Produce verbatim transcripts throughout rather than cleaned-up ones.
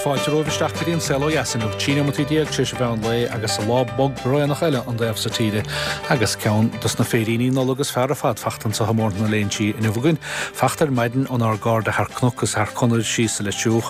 fáilte romhaibh isteach go dtí an Saol Ó Dheas inniu, trí nóimeataí déag tar éis an mheán lae agus lá bog braonach eile an dtaobh so tíre agus ceann dos na féiríní Nollag is fearr ar fad fachta anso i mBóthar na Léinsí inniu againn. Fachta ar maidin ónár gcairde thar cnoc is thar conair síos sa Leitriúch.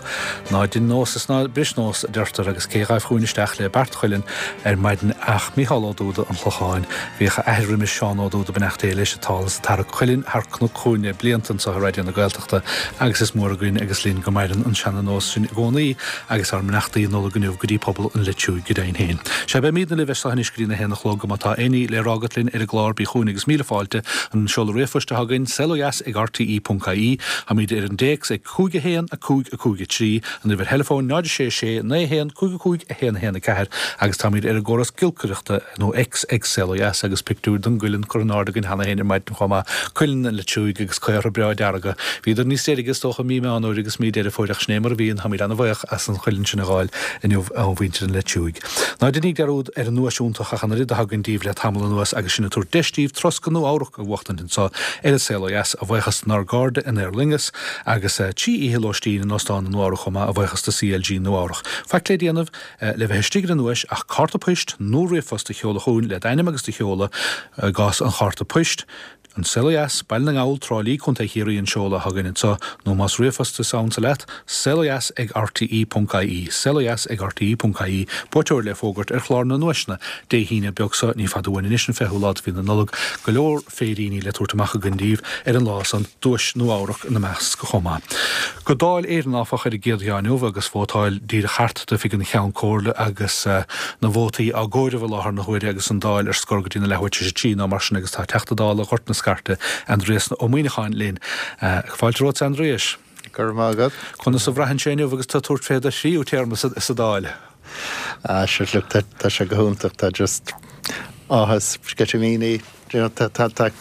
Ná dein nós is ná bris nós a deirtear agus cé ghaibh chugainn isteach le beart cuilinn ar maidin ach Mícheál Ó Dúda an Chlocháin. Bhíodh a athair roimis, Seán Ó Dúda, beannacht Dé leis, thall is ag tarrac cuilinn thar cnoc chugainn le blianta anso i Raidió na Gaeltachta agus is mór againn agus linn go maireann an seana-nós sin i gcónaí agus ár mbeannachtaí Nollag inniu go dtí pobal an Leitriúigh go deimhin féin. Sea, beimídne libh as seo anois go dtí na haon a chlog. Má tá éinní le rá agat linn ar an gclár, bí chugainn agus míle fáilte. An seoladh ríomhphoist atá againn, saolodheas ag rte ponc ie. Táimid ar an dtéacs ag cúig a haon, a cúig, a cúig a trí, an uimhir theileafóin náid a sé sé, naoi a haon, cúig a cúig, a haon a haon a ceathair agus táimid ar an gcóras giolcaireachta nó X ag Saol Ó Dheas agus pictiúr den gcuileann curtha in airde againn cheana féin ar maidin chomh maith, cuileann an Leitriúigh agus caortha breá dearga. Bhíodar níos deirge is dócha mí Meán Fhómhair agus mí Deireadh Fómhair ach sin é mar a bhíonn. Táimid ana-bhaoch as an chuileann sin a dh'fháil inniu ó mhuintir an Leitriúigh. Ná deiníg dearúd ar an nduais iontach ach an oiread atá againn daoibh le tamall anuas agus sinn ag tabhairt deis daoibh turas go Nua Eabhrac a bhuachtaint anso ar an Saol Ó Dheas, a bhuíochas dár gcairde in Aer Lingus agus trí oíche lóistín in óstán i Nua Eabhrac chomh maith, a bhuíochas do C L G Nua Eabhrac. Faic le déanamh le bheith istigh ar an nduais ach cárta poist nó ríomhphost a sheoladh chugainn le d'ainm agus do sheoladh i gcás an chárta poist. An Saol Ó Dheas, Baile na nGall, Trá Lí, Contae Chiarraí an seoladh atá againn anso, nó más ríomhphost is ansa leat, saolodheas ag rte ponc ie, saolodheas ag rte ponc ie, Buaiteoir le fógairt ar chlár na nduaiseanna Dé hAoine beag so, ní fada uainn anois an fichiú lá de mhí na Nollag, go leor féiríní le tabhairt amach againn daoibh ar an lá san, duais Nua Eabhrac ina measc chomh maith. Go Dáil Éireann áfach ar an gcéad gheá inniu agus vótáil díreach thart d'oifig an Cheann Comhairle agus na vótaí á gcomhaireamh i láthair na huaire agus an Dáil ar scor go dtí na leathuair tar éis a trí nó mar sin agus tá Teachta Dála Ghort na Scairte, Aindrias Ó Muimhneacháin linn. Fáilte romhat, a Aindriais. Go raibh maith agat. Conas a bhraitheann sé inniu agus tú ag tabhairt fé do thríú téarma sa Dáil? Ah, sure, look, tá, tá sé go hiontach, tá just áthas, sceitimíní, you know, tá, tá, tá,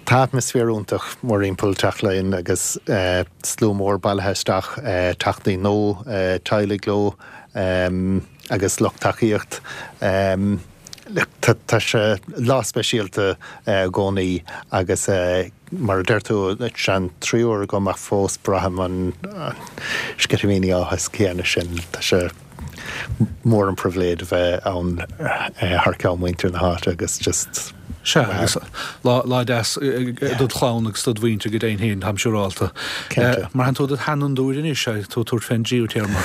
tá atmaisféar iontach mórthimpeall Teach Laighean agus eh, slua mór bailithe isteach, eh, teachtaí nua, eh, teaghlaigh leo, em, agus lucht tacaíocht. Em, Tá, tá sé lá speisialta eh, i gcónaí agus eh, mar a deir tú sé an tríú huair agam ach fós braithim an an sceitimíní áthas céanna sin. Tá sé mór an pribhléid a bheith ann eh, thar ceann muintir na háite agus just Sea, agus lá, lá deas dod chlann agus dod mhuintir go deimhin féin, táim siúrálta. Cinnte. Mbraitheann tú i do sheanfhondúir anois, tú ag tabhairt fén dtríú téarma?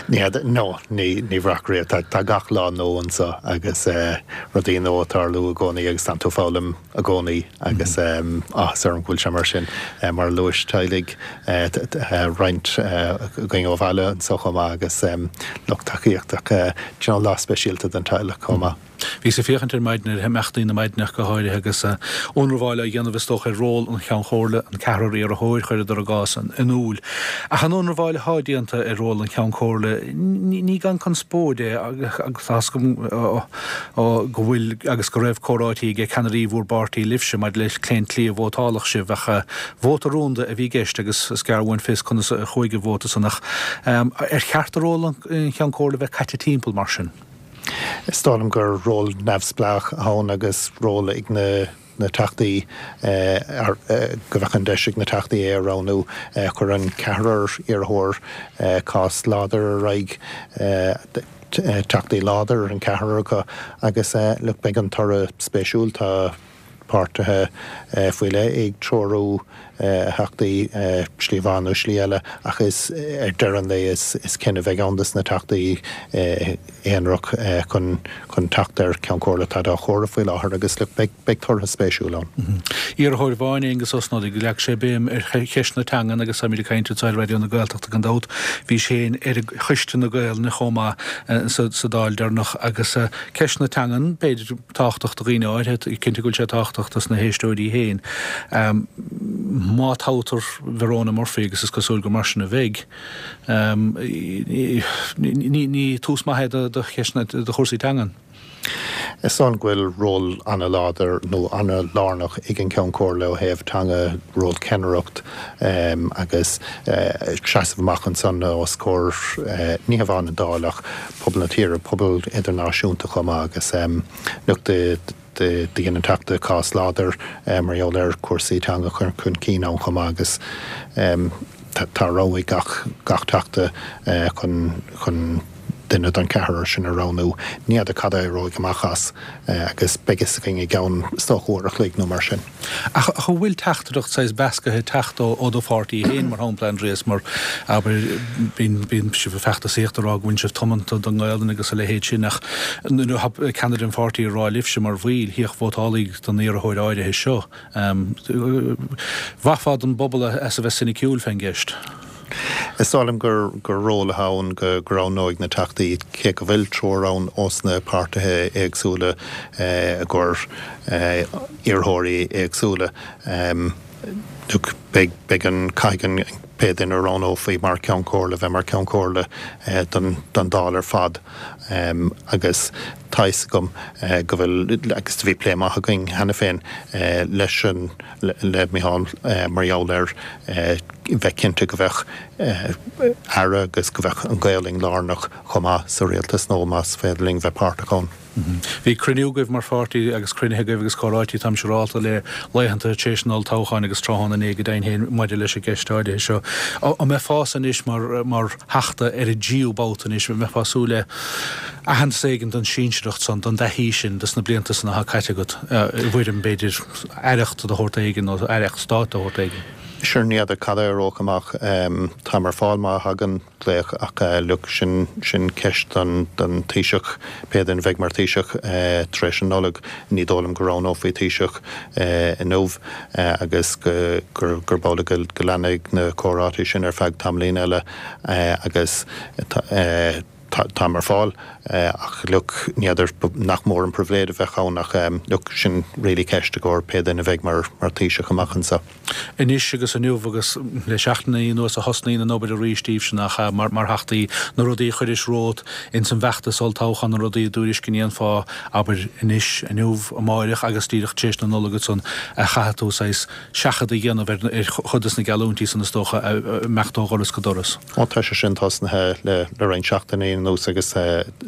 Ní, no, ní, ní bhraithfeá riamh. Tá, tá gach lá nua anseo agus eh, rudaí nua ag tarlú i gcónaí agus tá tú ag foghlaim i gcónaí agus em, áthas orm go bhfuil sé mar sin. Eh, mar a luais teaghlaigh eh, t- t- eh, roinnt eh, againn ó bhaile anseo chomh maith agus em, lucht tacaíochta ach eh, you know, lá speisialta don teaghlach chomh maith. Bhíos ag féachaint ar maidin ar imeachtaí na maidine ach go háirithe agus ionramháil á dhéanamh is dócha ar ról an Cheann Chomhairle, an ceathrar iarrthóir, chuireadar a gcás in iúl. Ach an ionramháil atá déanta ar ról an Cheann Chomhairle, ní gan conspóid é agus tá a fhios agam go bhfuil agus go raibh comhráití ag ceannairí bhur bpáirtí libhse maidir le cén tslí a vótálfadh sibh ach vóta rúnda a bhí i gceist agus is gearr uainn fios conas a chuaigh an vóta san ach ar cheart do ról an Cheann Chomhairle bheith caite timpeall mar sin? Is dóigh liom gur ról neamhspleách ann agus ról ag na na teachtaí go bheadh an deis ag na teachtaí é a roghnú. Chuir an ceathrar iarrthóir cás láidir ar aghaidh, teachtaí láidir an ceathrar acu agus look beidh an toradh spéisiúil. Tá páirtithe faoi leith ag treorú a theachtaí slí amháin nó slí eile ach is ar deireadh an lae is is cinneadh a bheidh ann dos na teachtaí aonarach chun chun teacht ar Cheann Comhairle atá dá chomhaireamh faoi láthair agus look beidh beidh toradh spéisiúil ann. Iarrthóir amháin, Aengus Ó Snodaigh, leag sé béim ar cheist na teangan agus táimid ag caint anseo ar Raidió na Gaeltachta gan dabht. Bhí sé féin ar Choiste na Gaelainne chomh maith sa sa Dáil deireanach agus ceist na teangan b'fhéidir tábhachtach do dhaoine áirithe, cinnte go bhfuil sé tábhachtach dos na héisteoirí féin. Má toghtar Verona Murphy agus is cosúil gur mar sin a bheidh, ní ní tús maith é do cheist na do chúrsaí teangan. Is dóigh liom go bhfuil ról an-láidir nó an-lárnach ag an Ceann Comhairle ó thaobh teanga, ról ceannaireacht agus seasamh amach ansan os comhair ní hamháin an Dáil ach pobal na tíre, pobal idirnáisiúnta chomh maith agus look dhein an Teachta cás láidir mar gheall ar chúrsaí teanga chun cinn ann chomh maith agus Tá rogha ag gach gach teachta chun chun duine den cheathrar sin a roghnú. Ní fheadar cad a éireoidh amach as agus beidh fhios againn i gceann is dócha uair a chloig nó mar sin. Ach an bhfuil teachtaireacht saghas mheasctha ag teacht ó do pháirtí féin, mar shampla, Aindrias, mar, abair, bíonn, bíonn sibh ag feachtasaíocht ag rá go bhfuil sibh tiomanta don nGaelainn agus a leithéid sin ach nuair atá ceannaire an pháirtí ag rá libhse mar bhaill, thiocfadh vótálaigh don iarrthóir áirithe seo, mhaithfeá don bpobal as a bheith soiniciúil fén gceist. Is dóigh liom gur gur ról atá ann go go roghnóidh na Teachtaí, cé go bhfuil treoir ann ós na páirtithe éagsúla i gcomhair iarrthóirí éagsúla. Beidh beidh an caithfidh an pé duine a roghnófaí mar Cheann Comhairle bheith mar Cheann Comhairle don don Dáil ar fad agus tá fhios agam go bhfuil agus do bhí plé maith againn cheana féin leis an le Micheál mar gheall ar bheith cinnte go bheadh aire agus go bheadh an Ghaelainn lárnach chomh maith sa rialtas nó más féidir linn bheith páirteach ann. Bhí cruinniú agaibh mar pháirtí agus cruinnithe agaibh agus comhráití táim siúrálta le laethanta tar éis an olltoghcháin agus tráthnóna inné go deimhin féin maidir leis an gceist áirithe seo. An mbeifeása anois mar mar theachta ar an dtríú babhta anois, an mbeifeá ag súil le aitheantas éigin don sinsearacht san, don dtaithí sin, dos na blianta san atá caite agat i bhfoirm, b'fhéidir, aireacht de shórt éigin nó aireacht stáit de shórt éigin? Sure, ní fheadar cad a éireodh amach. Táim ar fáil má thagann glaoch ach look, sin sin ceist don don Taoiseach, pé duine a bheidh mar Thaoiseach tar éis an Nollaig. Ní dóigh liom go roghnófaí Taoiseach inniu agus go gur gurb amhlaidh go go leanfaidh na comhráití sin ar feadh tamaillín eile agus táim ar fáil ach look, ní fheadar, nach mór an pribhléid a bheadh ann ach look, sin really ceist i gcomhair pé duine a bheidh mar mar Taoiseach amach anseo. Anois agus inniu agus le seachtainí anuas a thosnaíonn an obair arís daoibhse nach ea, mar mar Theachtaí, na rudaí a chuiris romhat ins an bhfeachtas olltoghcháin, na rudaí a dúrais go ndéanfá, abair, anois, inniu, amáireach agus díreach tar éis na Nollag ansan a chaithfidh tú saghas seachadadh a dhéanamh ar ar chuid des na geallúintí san is dócha, imeacht ó dhoras go doras. Ó tá sé sin tosnaithe le le roinnt seachtainí anuas agus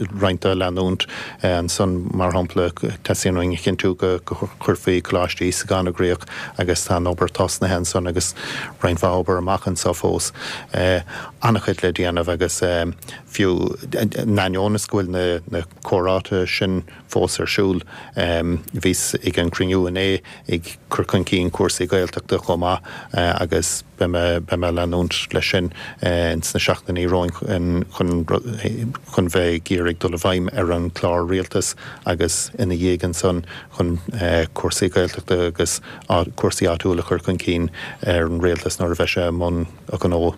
roinnt dá leanúint ansan, mar shampla, teastaíonn uainn a chinntiú go gcuirfí Coláiste Íosagáin i gcrích agus tá an obair tosnaithe ansan agus roinnt mhaith obair amach anso fós. An-chuid le déanamh agus fiú in ainneoin is go bhfuil na comhráite sin fós ar siúl, bhíos ag an gcruinniú inné ag cur chun cinn cúrsaí Gaeltachta chomh maith agus beidh mé beidh mé ag leanúint leis sin ins na seachtainí romhainn chun chun bheith ag iarraidh dul i bhfeidhm ar an chlár rialtais agus ina dhiaidh ansan chun cúrsaí Gaeltachta agus cúrsaí áitiúla a chur chun cinn ar an rialtas nuair a bheidh sé i mbun a ghnó.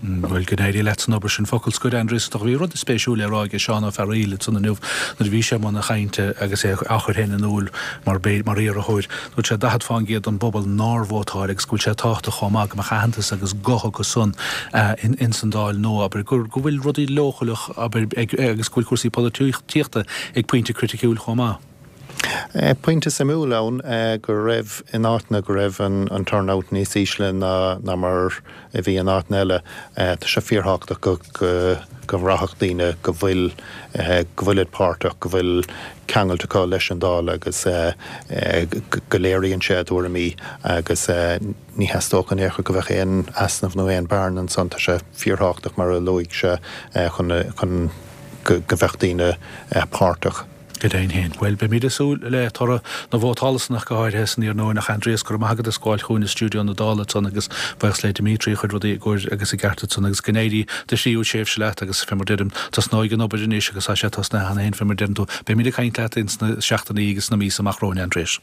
Bhuel, go n-éirí leat san obair sin. Focal scoir, Aindrias, ach bhí rud spéisiúil le rá aige Seán Ó Fearghaíl ansan inniu nuair a bhí sé i mbun a chainte agus é á chur féin in iúl mar mar iarrthóir. Dúirt sé daichead fán gcéad den bpobal nár vótáil agus go bhfuil sé tábhachtach chomh maith go mbeadh aitheantas agus guth acu san ins an Dáil nua, abair, go bhfuil rudaí leochaileach, abair, agus go bhfuil cúrsaí polaitíochta ag pointe criticiúil chomh maith. Pointe suimiúil ann go raibh in áiteanna go raibh an turnout níos ísle ná mar a bhí in áiteanna eile. Tá sé fíorthábhachtach go go mbraithfeadh daoine go bhfuil go bhfuilid páirteach, go bhfuil ceangailt acu leis an Dáil agus go léiríonn sé a dtuairimí agus ní theastódh in aon chor go bheadh aon easnamh nó aon bearna ansan. Tá sé fíorthábhachtach mar a luaigh sé chun chun go bheadh daoine páirteach. Go deimhin féin. Bhuel, beimid ag súil le toradh na vótála san ach go háirithe san iarnóin. Ach Aindrias, go raibh maith agat as gabháil chugainn i stiúideo na Dála ansan agus buíochas le Dimitri a chuir rudaí i gcóir agus i gceart ansan agus go n-éirí do thríú tréimhse leat agus fé mar deirim, tosnóidh an obair anois agus tá sé tosnaithe cheana féin fé mar deireann tú. Beimid ag caint leat ins na seachtainí agus sna míosa amach romhainn, Aindrias.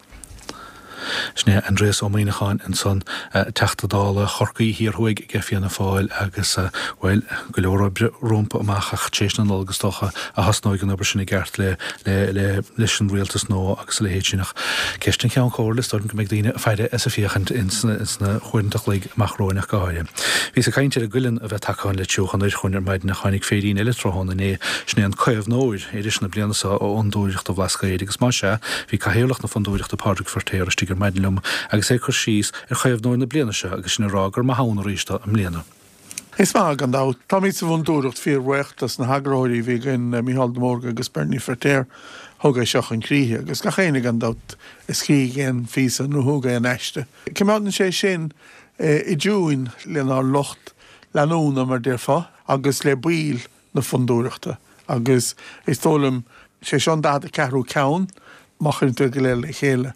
Sin é Aindrias Ó Muimhneacháin ansan, Teachta Dála Chorcaí Thiar Thuaidh aige Fianna Fáil agus, bhuel, go leor oibre rompu amach ach tar éis na Nollag is dócha a thosnóidh an obair sin i gceart le, le, le, leis an rialtas nua agus a leithéid sin ach ceist an Cheann Comhairle is dóigh liom go mbeidh daoine ag faire is ag féachaint ins na, ins na huaireanta a chloig amach romhainn ach go háirithe. Bhíos ag caint ar an gcuileann a bheith tagtha ann le tiúchan chugainn ar maidin ach tháinig féirín eile tráthnóna inné, sin é an Caomhnóir, iris na bliana seo ó Fhondúireacht an Bhlascaoid agus más ea, bhí Cathaoirleach na Fondúireachta Pádraig Feiritéar istigh ar maidin liom agus é ag cur síos ar Chaomhnóir na bliana seo agus sin ag rá gur maith ann arís do i mbliana. Is maith, gan dabht. Táimid sa bhFondúireacht fíorbhuíoch dos na heagarthóirí a bhí againn, Mícheál de Mórdha agus Bernie Feiritéar, thug é seo chun críche, agus gach éinne gan dabht a scrígh aon phíosa nó thug aon aiste. Coimeádann sé sinn i dtiúin lenár lucht leanúna, mar déarfá, agus le baill na Fondúireachta agus is dóigh liom, sé seo an daichead a ceathrú ceann, má chuireann tú iad go léir le chéile,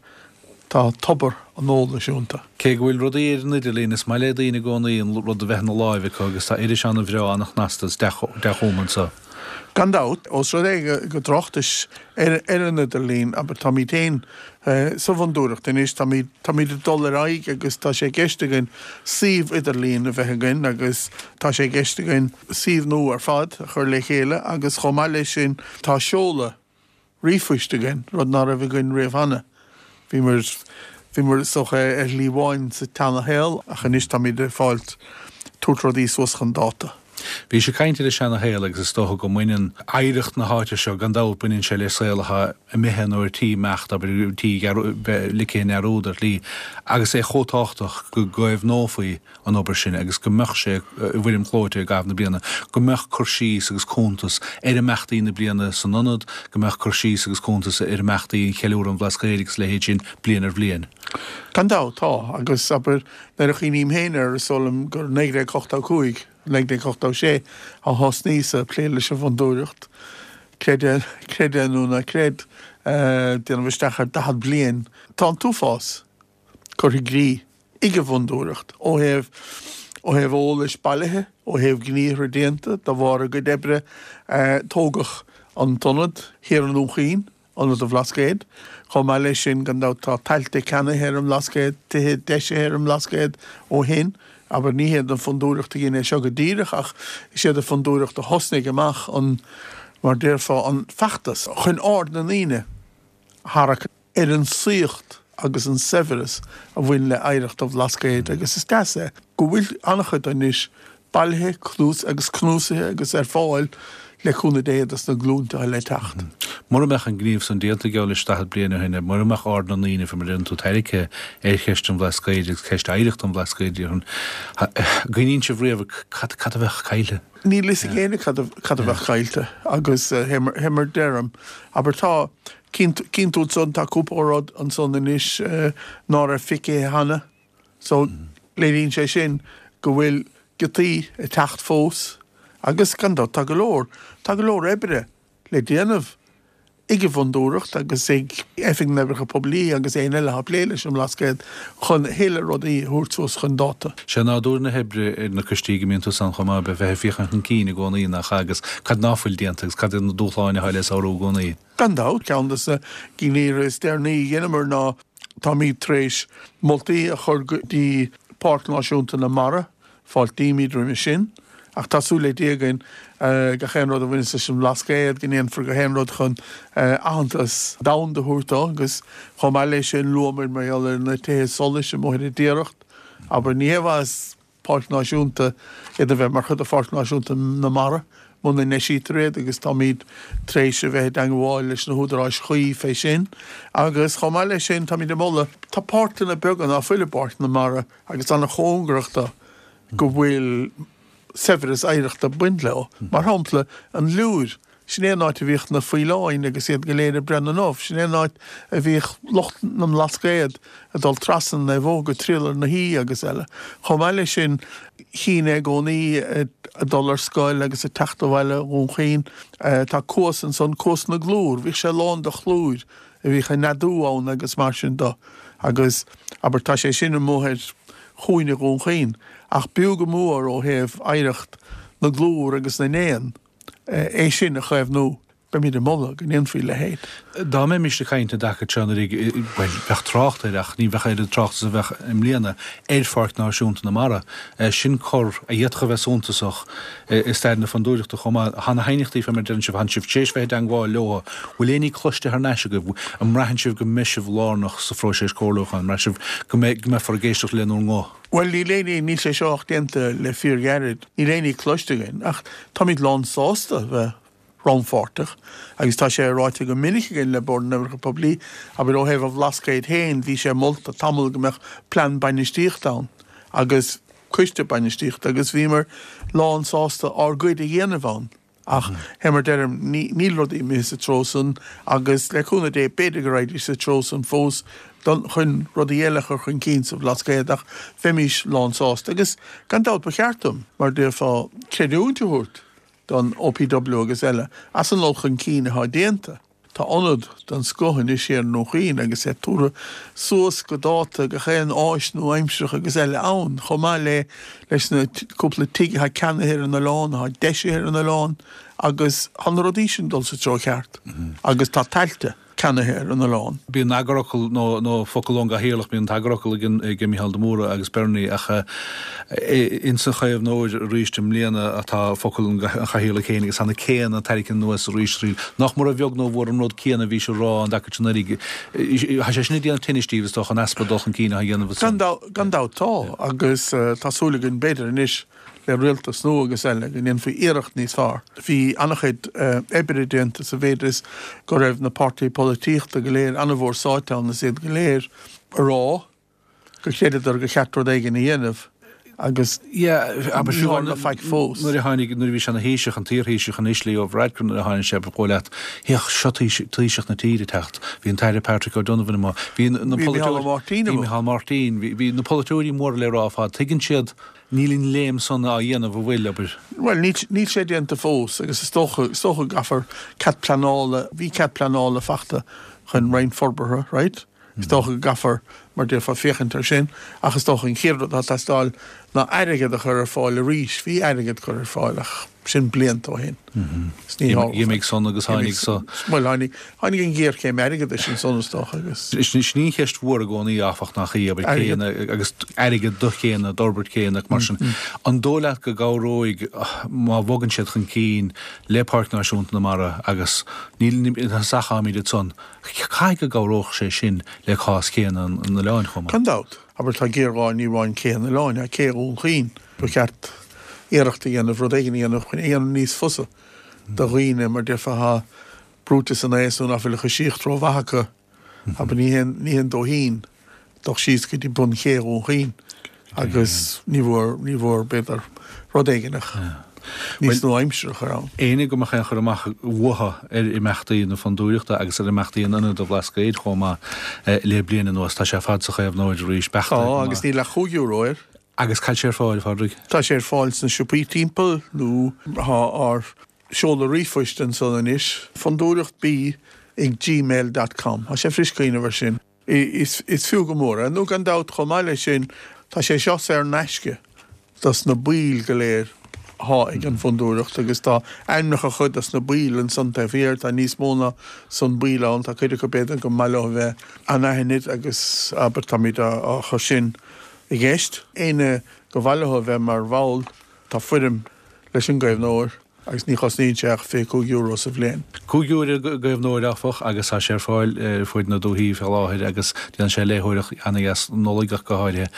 tá tobar an eolais iontu. Cé go bhfuil rudaí ar an idirlíon, is maith le daoine i gcónaí an rud a bheith ina láimh acu agus tá iris an-bhreá, an-chnasta is dea-chuma anseo. Gan dabht, ós rud é go dtráchtais ar an idirlíon, abair, táimid féin sa bhFondúireacht anois, táimid, táimid ag dul ar aghaidh agus tá sé i gceist againn suíomh idirlín a bheith againn agus tá sé i gceist againn suíomh nua ar fad a chur le chéile agus chomh maith leis sin tá seoladh ríomhphoist againn, rud ná raibh againn riamh cheana. Bhíomar, bhíomar is dócha ar shlí amháin sa tseana-shaol ach anois táimid ag fáilt, tabhairt rudaí suas chun dáta. Bhís ag caint ar an seana-shaol agus is dócha go mbaineann oidhreacht na háite seo, gan dabht, baineann sé le saol atá imithe nó ar tí imeacht, abair, ar tí bheith ligthe i ndearúd ar shlí, agus é chomh tábhachtach go gcaomhnófaí an obair sin agus go mbeadh sé i bhfoirm chlóite i gcaitheamh na bliana, go mbeadh cur síos agus cuntas ar imeachtaí na bliana san ionad, go mbeadh cur síos agus cuntas ar imeachtaí cheiliúradh an Bhlascaoid agus a leithéid sin bliain ar bhliain. Gan dabht, tá, agus abair, nuair a chuimhním féin air, is dóigh liom gur naoi déag ochtó a cúig, naoi déag ochtó sé a thosnaíos ag plé leis an bhFondúireacht, creid é, creid é nó ná creid, déanamh isteach ar daichead bliain. Tá an t-uafás curtha i gcrích ag an bhFondúireacht ó thaobh, ó thaobh eolais bailithe, ó thaobh gníomhartha déanta, de bharr a gcuid oibre tógadh an t-ionad thiar i nDún Chaoin. Ionad an Bhlascaoid. Chomh maith leis sin, gan dabht, tá tailte ceannaithe ar an mBlascaod, tithe deisithe ar an mBlascaod ó shin. Abair, ní hiad an Fondúireacht a dhein é seo go díreach ach is iad an Fondúireacht a thosnaigh amach an, mar déarfá, an feachtas chun aird na ndaoine a tharrac ar an saíocht agus an saibhreas a bhain le hoidhreacht an Bhlascaoid agus is deas é go bhfuil an-chuid de anois bailithe, cnuas agus cnuasaithe agus ar fáil le cúnamh Dé dos na glúnta atá le teacht. Mura mbeadh an gníomh san déanta, geall leis, daichead bliain ó shin, mura mbeadh aird na ndaoine, fé mar a deireann tú, tarraicthe ar cheist an Bhlascaoid agus ceist oidhreacht an Bhlascaoid, déarfainn, an gcuimhníonn sibh riamh cad a bheadh caillte? Níl fhios ag éinne cad a bheadh caillte agus fé mar deirim, abair, tá, cíonn tú ansan, tá cúpla rud ansan anois ná raibh feicthe cheana so léiríonn sé sin go bhfuil giotaí ag teacht fós agus gan dabht tá go leor, tá go leor oibre le déanamh ag an bhFondúireacht agus ag Oifig na nOibreacha Poiblí agus éinne eile atá ag plé leis an mBlascaod chun a thuilleadh rudaí a thabhairt suas chun dáta. Sé nádúr na hoibre ar na coistí go mbíonn tusa ann chomh maith, bheith ag féachaint chun cinn i gcónaí, nach ea, agus cad ná fuil déanta agus cad iad na dúshláin atá le sárú i gcónaí. Gan dabht, ceann de na gníomhartha is deireanaí a dheineamar ná táimid tar éis moltaí a chur go dtí Páirc Náisiúnta na Mara, Fáiltímid roimhe sin, ach tá súil le Dia againn gach aon rud a bhaineas leis an mBlascaod, go ndéanfar gach aon rud chun aitheantas domhanda a thabhairt dó agus chomh maith leis sin luamar mar gheall ar na tithe solais amuigh ar an Tiaracht. Abair, ní haon mhaitheas Páirc Náisiúnta, iad a bheith mar chuid de Pháirc Náisiúnta na Mara muna ndeisítear iad agus táimid tar éis a bheith i dteangmháil leis na húdaráis chuí fé sin agus chomh maith leis sin táimid ag moladh, tá páirteanna beaga ná fuil i bPáirc na Mara agus ana-chóngarach dó go bhfuil saibhreas oidhreachta ag baint leo. Mar shampla, an Liúir, sin é an áit a bhíodh na faoileáin agus iad go léir ag breith na n-ubh, sin é an áit a bhíodh lucht na mBlascaod ag dul trasna na Naomhóg ag triall ar na haoi agus eile. Chomh maith leis sin, chínn é i gcónaí ag dul ar scoil agus ag teacht abhaile ó Dhún Chaoin. Tá cuas ansan, Cuas na gClúr, bhíodh sé lán de chlúir a bhíodh ag neadú ann agus mar sin de. Agus, abair, tá sé sin amuigh ar chúinne Dhún Chaoin, ach b'fhiú go mór ó thaobh oidhreacht na gclúr agus na n-éan é sin a chaomhnú. Beimid ag moladh go ndéanfaí a leithéid. Dá mbeimis ag caint na dtaca seo anuraidh, bhuel, bheadh trácht air ach ní bheadh oiread trácht is a bheadh i mbliana ar Pháirc Náisiúnta na Mara. Sin cor a d'fhéadfadh a bheith suntasach i stair na Fondúireachta chomh maith. Tá na haighneachtaí, fé mar a deireann sibh, tánn sibh tar éis bheith i dteangmháil leo. Bhfuil aon ní cloiste thar n-ais agaibh? An mbraitheann sibh go mbeidh sibh lárnach sa phróiseas comhairliúcháin? An mbraitheann sibh go mbeidh, go mbeifear ag éisteacht lenúr nguth? Bhuel, níl aon ní, níl sé seo ach déanta le fíorghairid, níl aon ní cloiste againn, ach táimid lán sásta a bheith rannpháirteach agus tá sé ráite go minic againn le Bord na nOibreacha Poiblí, abair ó thaobh an Bhlascaoid féin, bhí sé molta tamall go mbeadh plean bainistíochta ann agus coiste bainistíochta agus bhíomar lán sásta ár gcuid a dhéanamh ann. Ach, fé mar deirim, níl rudaí imithe sa treo san agus, le cúnamh Dé, b'fhéidir go raghaidís sa treo san fós don chun rudaí eile a chur chun cinn sa Bhlascaod ach bheimis lánsásta agus gan dabht ba cheart dom, mar déarfá, creidiúint a thabhairt don OPW agus eile as an dul chun cinn atá déanta. Tá ionad den scoth anois i nDún Chaoin agus é tabhartha suas go dáta gach aon áis nua-aimseartha agus eile ann, chomh maith le leis na cúpla tigh atá ceannaithe ar an oileán, atá deisithe ar an oileán agus tá na rudaí sin dul sa treo cheart agus tá tailte. ceannaithe ar an oileán. Bíonn eagarfhocal nó nó focal ón gCathaoirleach, bíonn an t-eagarfhocal ag ag Mícheál de Mórdha agus Bernie ach insa Chaomhnóir arís i mbliana atá focal an Chathaoirligh féin agus tá na céanna tarraingthe anuas arís arís. Nach mór a bheag nó a mhór an rud céanna a bhí sé a rá an dtaca sin uilig. Tá sé sin ag déanamh tinnis daoibh is dócha an easpa dul chun cinn atá á dhéanamh Gan dabht, gan dabht tá agus tá súil againn b'fhéidir anois le rialtas nua agus eile, go ndéanfaí iarracht níos fearr. Bhí an-chuid oibre déanta sa mhéid is go raibh na páirtithe polaitíochta go léir an-mhór sáite ann is iad go léir a rá gur chreideadar gur cheart rud éigin a dhéanamh agus ní tharla faic fós. Nuair a tháinig, nuair a bhí sé ina Thaoiseach, an t-iar-Thaoiseach anois, Leo Varadkar, nuair a tháinig sé, ba dhóigh leat, féach, seo Taoiseach na tíre ag teacht. Bhí an tAire Patrick O'Donovan amuigh, bhí na polaiteoirí, bhí Micheál Martin, bhí na polaiteoirí móra le rá ar fad, tuigeann siad, Níl an léim san á dhéanamh, an bhfuil, abair? Bhuel, níl sé déanta fós agus is dócha, is dócha go gcaithfear cead pleanála, bhí cead pleanála faighte chun roinnt forbartha, right? Is dócha go gcaithfear, mar déarfá, féachaint air sin ach is dócha an chéad rud atá ag teastáil ná airgead a chur ar fáil arís. Bhí airgead curtha ar fáil ach sin blianta ó shin. D'imigh san agus tháinig so. Bhuel, tháinig, tháinig an ghéarchéim airgeadais ansan is dócha agus. Sin í an cheist mhór i gcónaí, áfach, nach í, abair, céanna agus airgead do chéanna, d'fhorbairt céanna mar sin. An dóigh leat go gcabhróidh má bhogann siad chun cinn le Páirc Náisiúnta na Mara agus níl a fhios a'm ansan, caithfidh go gcabhródh sé sin le cás chéanna an oileáin chomh maith? Gan dabht. Abair, tá géarghá ní amháin cé an oileáin, ach cé Dhún Chaoin. Ba cheart iarracht a dhéanamh, rud éigin a dhéanamh chun é a dhéanamh níos fusa do dhaoine, mar déarfá, atá brúite san aos nó nach bhfuil an choisíocht rómhaith acu. Abair, ní haon, ní haon dóithín dul síos go dtí bun ché Dhún Chaoin agus ní mhór, ní mhór, b'fhéidir, rud éigin ach níos nua-aimseartha a chur ann. Éinne go mbeadh aon chur amach uathu ar imeachtaí na Fondúireachta agus ar imeachtaí an Ionaid an Bhlascaoid chomh maith le bliain anuas, tá sé ar fad sa Chaomhnóir arís, beachtaithe go maith. Tá, agus níl ach chúig euro air. Agus cá bhfuil sé ar fáil, a Phádraig? Tá sé ar fáil sna siopaí timpeall nó tá ár seoladh ríomhphoist ansan anois, fondúireacht b ag gmail dot com. Tá sé fuirist cuimhneamh air sin. Is fiú go mór é. Nó gan dabht, chomh maith leis sin, tá sé seo saor in aisce dos na baill go léir athá ag an bhFondúireacht agus tá ainmneacha chuid dos na baill ansan taobh thiar. Tá níos mó ná san baill ann. Tá cuid acu b'fhéidir go mba mhaith leo a bheith anaithnid agus abair táimid á chur sin i gceist. Éinne gur mhaith leo a bheith mar bhall, tá foirm leis an gCaomhnóir agus ní chosnaíonn sé ach fiche cúig euro sa bhliain. Cúig euro ar an gCaomhnóir, áfach, agus tá sé ar fáil ar fuaid na dúichí fé láthair agus déanann sé léitheoireacht ana-dheas Nollaig ach go háirithe.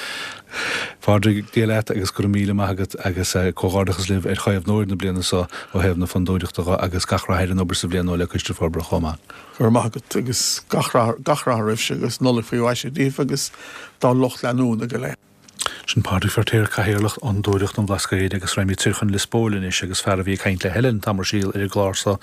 Pádraig, Dia leat agus go raibh míle maith agat agus comhghairdeachas libh ar Chaomhnóir na bliana seo ó thaobh na Fondúireachta dho agus gach rath ar an obair sa bhliain nua le Coiste Forbartha chomh maith. Go raibh maith agat agus gach rath gach rath oraibhse agus Nollaig faoi mhaise daoibh agus dá lucht leanúna go léir. Sin Pádraig Feirtéar, Cathaoirleach Fhondúireacht an Bhlascaoid agus raghaimid soir chun Lios Póil anois agus fear a bhí ag caint le Helen tamall siar ar an gclár seo,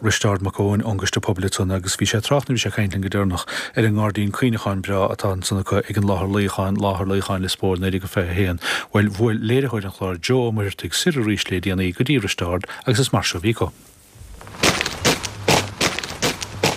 Risteárd Mac Eoin ón gCoiste Pobail ansan agus bhí sé ag trácht nuair a bhí sé ag caint linn go deireanach ar an ngairdín cuimhneacháin breá atá ansan acu ag an láthair luíocháin, Láthair Luíocháin Lios Póil naoi déag fiche a haon. Bhuel, bhuail léiritheoir an chláir Joe Ó Muircheartaigh soir arís le déanaí go dtí Risteárd agus is mar seo a bhí acu.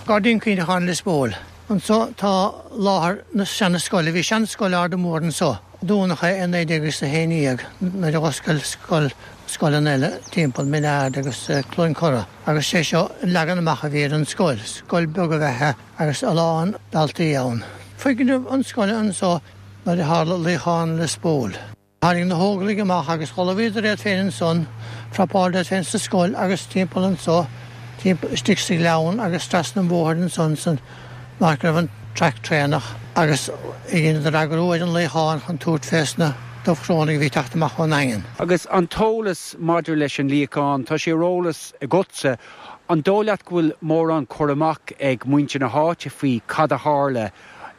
Gairdín Cuimhneacháin Lios Póil. Anso tá láthair na seana-scoile. Bhí seana-scoil Arda Mór anso. Dúnadh é i naoi déag is a haon dhéag nuair a dh'oscail scoil scoileanna eile timpeall, Mín Ard agus Cluain Cora. Agus sé seo an leagan amach a bhí ar an scoil. Scoil beag ab ea é agus a lán daltaí ann. Foirgneamh an scoile anso nuair a tharla luíochán Lios Póil. Tháinig na hÓglaigh amach agus dh'ullmhaíodar iad féin ansan, phrapáladar iad féin sa scoil agus timpeall anso, timpeall istigh sa ghleann agus trasna an bhóthair ansan san áit go raibh an traic traenach agus dheineadar eagrú ar an luíochán chun tabhairt fés na Dubhchrónaigh a bhí ag teacht amach ón nDaingean. Agus an t-eolas maidir leis an luíochán, tá sé ar eolas agatsa. An dóigh leat go bhfuil mórán cur amach ag muintir na háite faoi cad a tharla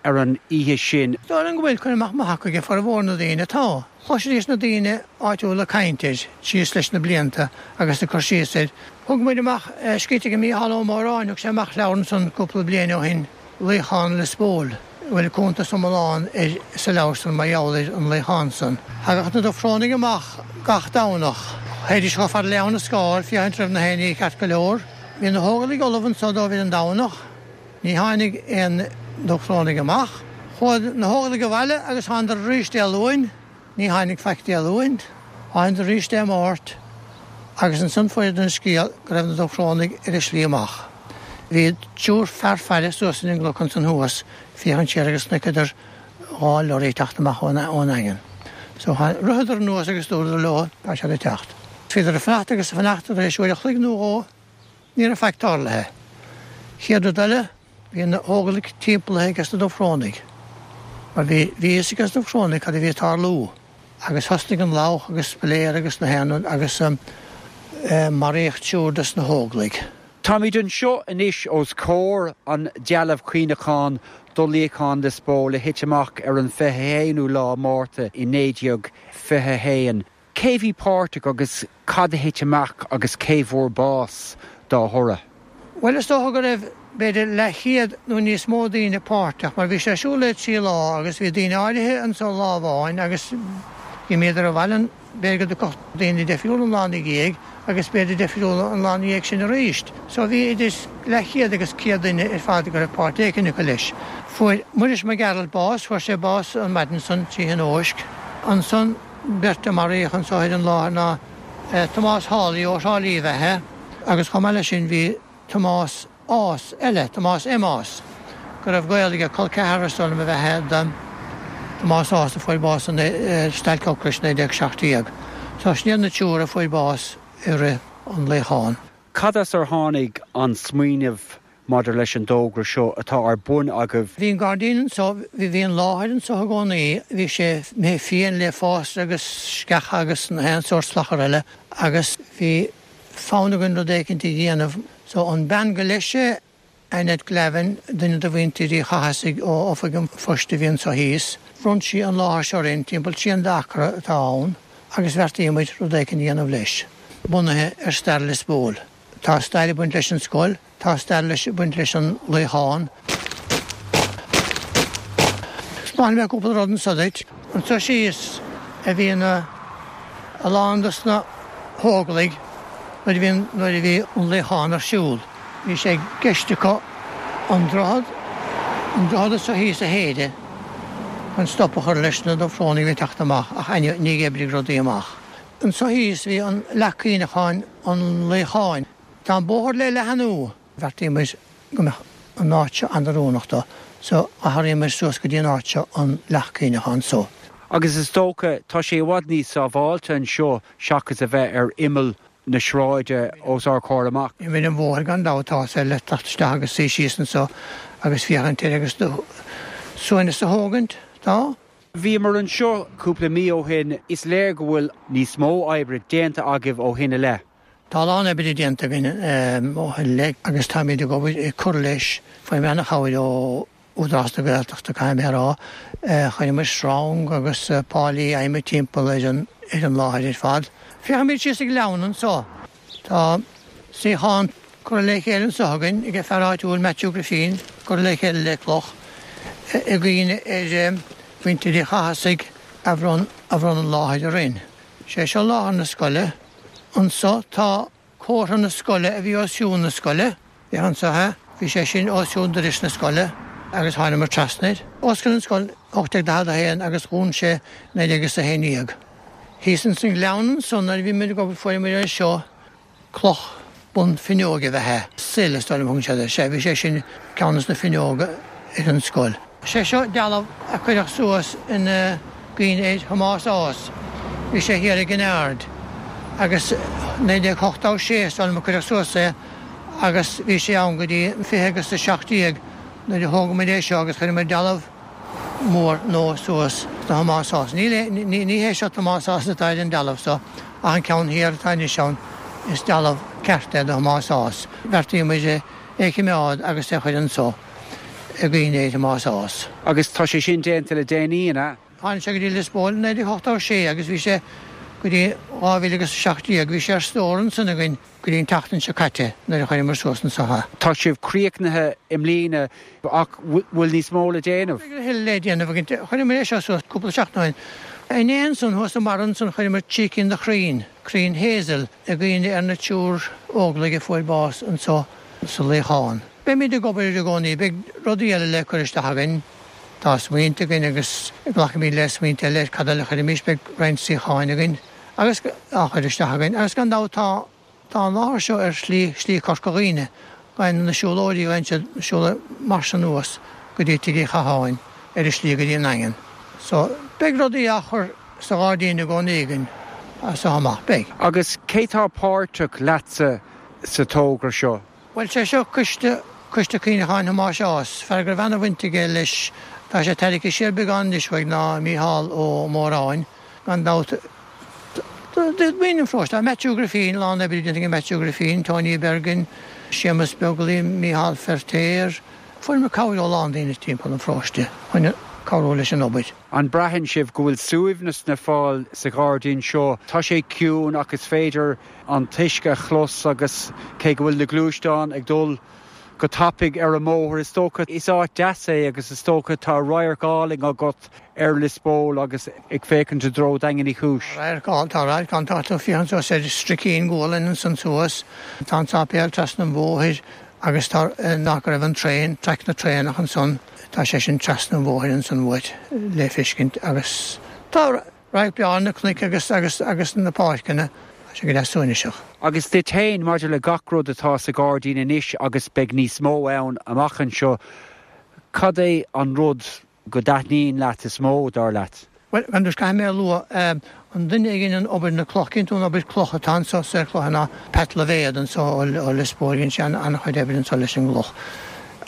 ar an oíche sin? Is dóigh liom go bhfuil cur amach maith acu ag formhór na daoine. Tá. Chloisidís na daoine áitiúla ag caint air síos leis na blianta agus ag cur síos air. Thug muid amach, scríte ag Mícheál Ó Móráin, thug sé amach leabhar ansan cúpla bliain ó shin, Luíochán Lios Póil. bhfuil cuntas iomlán ar sa leabhar san mar gheall ar an luíochán san. Thagadh na Dubhchrónaigh amach gach Domhnach. Théidís chomh fada le Abhainn an Scáil, féachaint raibh na héinní ceart go leor. Bhí na hÓglaigh ullamh anso dóibh ar an Domhnach. Ní tháinig aon Dubhchrónaigh amach. Chuaigh na hÓglaigh abhaile agus thánadar arís Dé Luain. Ní tháinig faic Dé Luain. Thánadar arís Dé Máirt agus ansan fuaireadar an scéal go raibh na Dubhchrónaigh ar a slí amach. Bhí triúr fear faire suas ar an gcnoc ansan thuas, féachaint siar agus chonaiceadar dhá lorry ag teacht amach ón nDaingean. So ritheadar anuas agus dúradar leo, tá siad ag teacht. Bhíodar ag fanacht agus ag fanacht tar éis uair a chloig nó dhó, ní raibh faic tarlaithe. Chéad rud eile, bhí na hÓglaigh timpeallaithe ages na Dubhchrónaigh. Mar bhí bhí fhios ages na Dubhchrónaigh cad a bhí ag tarlú. Agus thosnaigh an lamhach agus spiléir agus na haon rud agus maraíodh triúr des na hÓglaigh. Táimid anseo anois os comhair an dealbh cuimhneacháin do Luíochán Lios Póil a thit amach ar an fiche haonú lá Márta i naoi déag fiche haon. Cé bhí páirteach agus cad a thit amach agus cé bhfuair bás dá thoradh? Bhuel, is dócha go raibh b'fhéidir leathchéad nó níos mó daoine páirteach mar bhí sé ar siúl le trí lá agus bhí daoine áirithe anso lá amháin agus d'imíodar abhaile an B'fhéidir go dtiocfadh daoine difriúla an lá ina dhiaidh agus b'fhéidir difriúla an lá ina dhiaidh sin arís. So bhí idir leathchéad agus céad duine ar fad go raibh páirt éicint acu leis. Fuair Muiris Mac Gearailt bás, fuair sé bás an maidin san trí thionóisc. Ansan beirt a maraíodh anso ar an láthair ná Tomás Hawley ó Thrá Lí ab ea é agus chomh maith leis sin bhí Tomás Ághas eile, Tomás M. Ághas, go raibh gaol aige, col ceathrar is dóigh liom ab ea é do Tomás Ághas a fuair bás i stailc ocrais naoi déag seacht déag. So sin iad na triúr a fuair bás i rith an luíocháin. Cad as ar tháinig an smaoineamh maidir leis an dtogra seo atá ar bun agaibh? Bhí an gairdín anso, bhí bhí an láthair anso i gcónaí, bhí sé imithe fiain le fásra agus sceacha agus na haon sórt slachar eile agus bhí fonn againn rud éicint a dhéanamh. So an bean gur leis é, Annette Glavin, duine de mhuintir Uí Chathasaigh ó Oifig an Phoist a bhí anso thíos, bhronn sí an láthair seo orainn, timpeall trian d'acra atá ann, agus bheartaigh muid rud éicint a dhéanamh leis, bunaithe ar stair Lios Póil. Tá stair ag baint leis an scoil, tá stair leis ag baint leis an luíochán. Spáinfidh mé cúpla rud anso duit. Anso síos a bhí na, a lán dos na hÓglaigh nuair a bhí an, nuair a bhí an luíochán ar siúl. Bhí sé i gceist acu an droichead, an droichead anso thíos a shéideadh chun stop a chur leis na Dubhchrónaigh a bhí ag teacht amach ach ainneoin níor oibrigh rudaí amach. Anso thíos bhí an leac cuimhneacháin an luíocháin. Tá an bóthar le leathnú. Bheartaigh muid go mbeadh an áit seo an-oiriúnach dó so athraigh muid suas go dtí an áit seo an leac cuimhneacháin so. Agus is dócha, tá sé i bhfad níos sábháilte anseo seachas a bheith ar imeall na sráide os ár gcomhair amach. Imeall an bhóthair gan dabht tá sé le teacht isteach agus suí síos anso agus féachaint air agus do suaimhneas a thógaint. Tá. Bhíomar anseo cúpla mí ó shin, is léir go bhfuil níos mó oibre déanta agaibh ó shin i leith. Tá a lán oibre déanta againn ó shin i leith agus táimid ag obair ag cur leis. Fuair mé an-chabhair ó Údarás na Gaeltachta, caithfidh mé a rá. Chuireamar sreang agus pálaí adhmaid timpeall ar an ar an láthair ar fad. Féachaimid síos ag gleann anso. Tá suíochán curtha le chéile anso againn ag fear áitiúil Matthew Griffeen, curtha le chéile le cloch, i gcuimhne ar mhuintir Uí Chathasaigh a bhronn a bhronn an láthair orainn. Sé seo láthair na scoile. Anso tá comhartha na scoile a bhí os cionn na scoile. Féach anso é. Bhí sé sin os cionn dorais na scoile agus thánamar trasna air. Oscail an scoil ocht déag daichead a haon agus dhún sé naoi déag is a haon déag. Thíos ins an ghleann ansan nuair a bhí muid ag obair fuaireamar é seo, cloch bun fuinneoige ab ea é. Sill is dóigh liom a thugann siad air. Sea, bhí sé sin ceann des na fuinneoga ar an scoil. Sé seo dealbh a cuireadh suas ina gcuimhne ar Thomás Ághas. Bhí sé thiar ag an Aird agus naoi déag ochtó sé is dóigh liom a cuireadh suas é agus bhí sé ann go dtí fiche agus a seacht déag nuair a thóg muid é seo agus chuir muid dealbh mór nua suas do Thomás Ághas. Ní ní hé seo Tomás Ághas atá ar an dealbh seo ach an ceann thiar atá anois ann is dealbh ceart é do Thomás Ághas. Bheartaigh muid é a choimeád agus é a chur anso i gcuimhne ar Thomás Ághas. Agus tá sé sin déanta le déanaí, an ea? Tháinig sé go dtí Lios Póil i naoi déag ochtó sé agus bhí sé go dtí dhá mhíle agus a seacht déag. Bhí sé ar stór ansan againn go dtí an tseachtain seo caite nuair a chuireamar suas anso é. Tá sibh críochnaithe i mbliana ach bhfuil níos mó le déanamh? Beidh a thuilleadh le déanamh againn. Chuireamar é seo suas cúpla seachtain ó shin. Inné ansan thuas i mbarra ansan chuireamar trí cinn de chrainn, crainn hazel, i gcuimhne ar na triúr óglaigh a fuair bás anso sa Luíochán. Beimid ag obair air i gcónaí. Beidh rudaí eile le cur isteach againn. Tá smaointe againn agus glacfaimid le smaointe eile ar cad eile a chuirfimis. Beidh roinnt suíocháin againn agus á chur isteach againn. Agus gan dabht tá tá an láthair seo ar shlí slí Chorca Dhuibhne. Gabhann na siúlóirí gabhann siad siúl mar seo anuas go dtí Tigh Uí Chatháin ar a slí go dtí an nDaingean. So beidh rudaí á chur sa ghairdín i gcónaí againn as seo amach. Beidh. Agus cé tá páirteach leatsa sa togra seo? Bhuel, sé seo Coiste, Coiste Cuimhneacháin Thomáis Ághas, fear go raibh ana-bhaint aige leis, tá sé tarraingthe siar beagán anois uaidh ná Mícheál Ó Móráin, gan dabht. Daoine an pharóiste, tá Maitiú Grifín, a lán oibre déanta ag Maitiú Grifín, Tony Bergin, Séamus Beaglaoi, Mícheál Feirtéar. Fuaireamar cabhair ó a lán daoine timpeall an pharóiste chun cabhrú leis an obair. An braitheann sibh go bhfuil suaimhneas le fáil sa ghairdín seo? Tá sé ciúin ach is féidir an t-uisce a chlos agus cé go bhfuil na gluaisteáin ag dul go tapaidh ar an mbóthar, is dócha is áit deas é agus is dócha tá radharc álainn agat ar Lios Póil agus ag féachaint i dtreo Daingean Uí Chúis. Radharc álainn, tá radharc ann, tá tú ag féachaint suas ar Stricín Gualainn ansan suas, tá an sáipéal trasna an bhóthair agus tá an áit go raibh an traein, traic na traenach ansan, tá sé sin trasna an bhóthair ansan uait le feiscint agus tá radharc breá ar na cnoic agus agus agus na páirceanna, tá sé go deas suaimhneach. Agus duit féin, maidir le gach rud atá sa ghairdín anois agus beidh níos mó ann amach anseo, cad é an rud go dtaitníonn leat is mó, dar leat? Bhuel, gan dabht caithfidh mé a lua, an duine a dhein an obair na cloch, cíonn tú an obair cloch atá anso, saor cloiche ná Pat Loivéad anso ó Lios Póil, dhein sé an-chuid oibre anso leis an gcloch.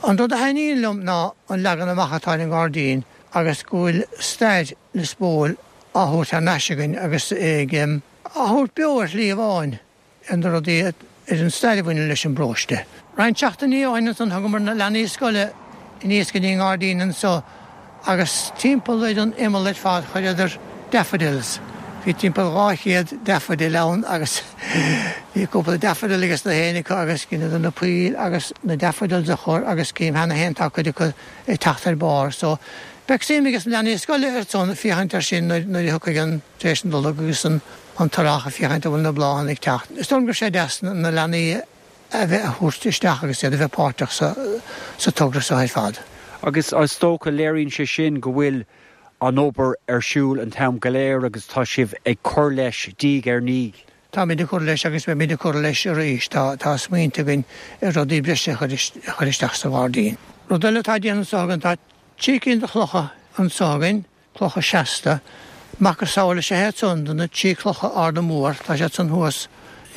An rud a thaitníonn liom ná an leagan amach atá ar an ngairdín agus go bhfuil stair Lios Póil á thabhairt thar n-ais againn agus ag á thabhairt beo ar shlí amháin. Ar na rudaí ar an stair a bhaineann leis an bparóiste. Roinnt seachtainí ó shin ansan thugamar na leanaí scoile aníos go dtí an ngairdín anso agus timpeall ar an imeall ar fad chuireadar daffodils. Bhí timpeall dhá chéad daffodil ann agus bhí cúpla daffodil ages na héinne acu agus dheineadar na poill agus na daffodils a chur agus cím cheana féin tá cuid acu ag teacht ar barr so beidh suim ages na leanaí scoile ar son féachaint ar sin nuair a thiocfaidh an tar éis na Nollag agus an an t-earrach ag féachaint an bhfuil na bláthanna ag teacht. Is dóigh liom go raibh sé deas na leanaí a bheith a thabhairt isteach agus iad a bheith páirteach sa sa togra seo ar fad. Agus is dócha léiríonn sé sin go bhfuil an obair ar siúl an t-am go léir agus tá sibh ag cur leis diaidh ar ndiaidh. Táimid ag cur leis agus beimid ag cur leis arís. Tá tá smaointe againn ar rudaí breise a chur a chur isteach sa ghairdín. Rud eile atá déanta anseo againn, tá trí cinn de chlocha anseo againn, clocha seasta, macasamhail is ea iad san de na trí clocha Arda Mór, tá siad san thuas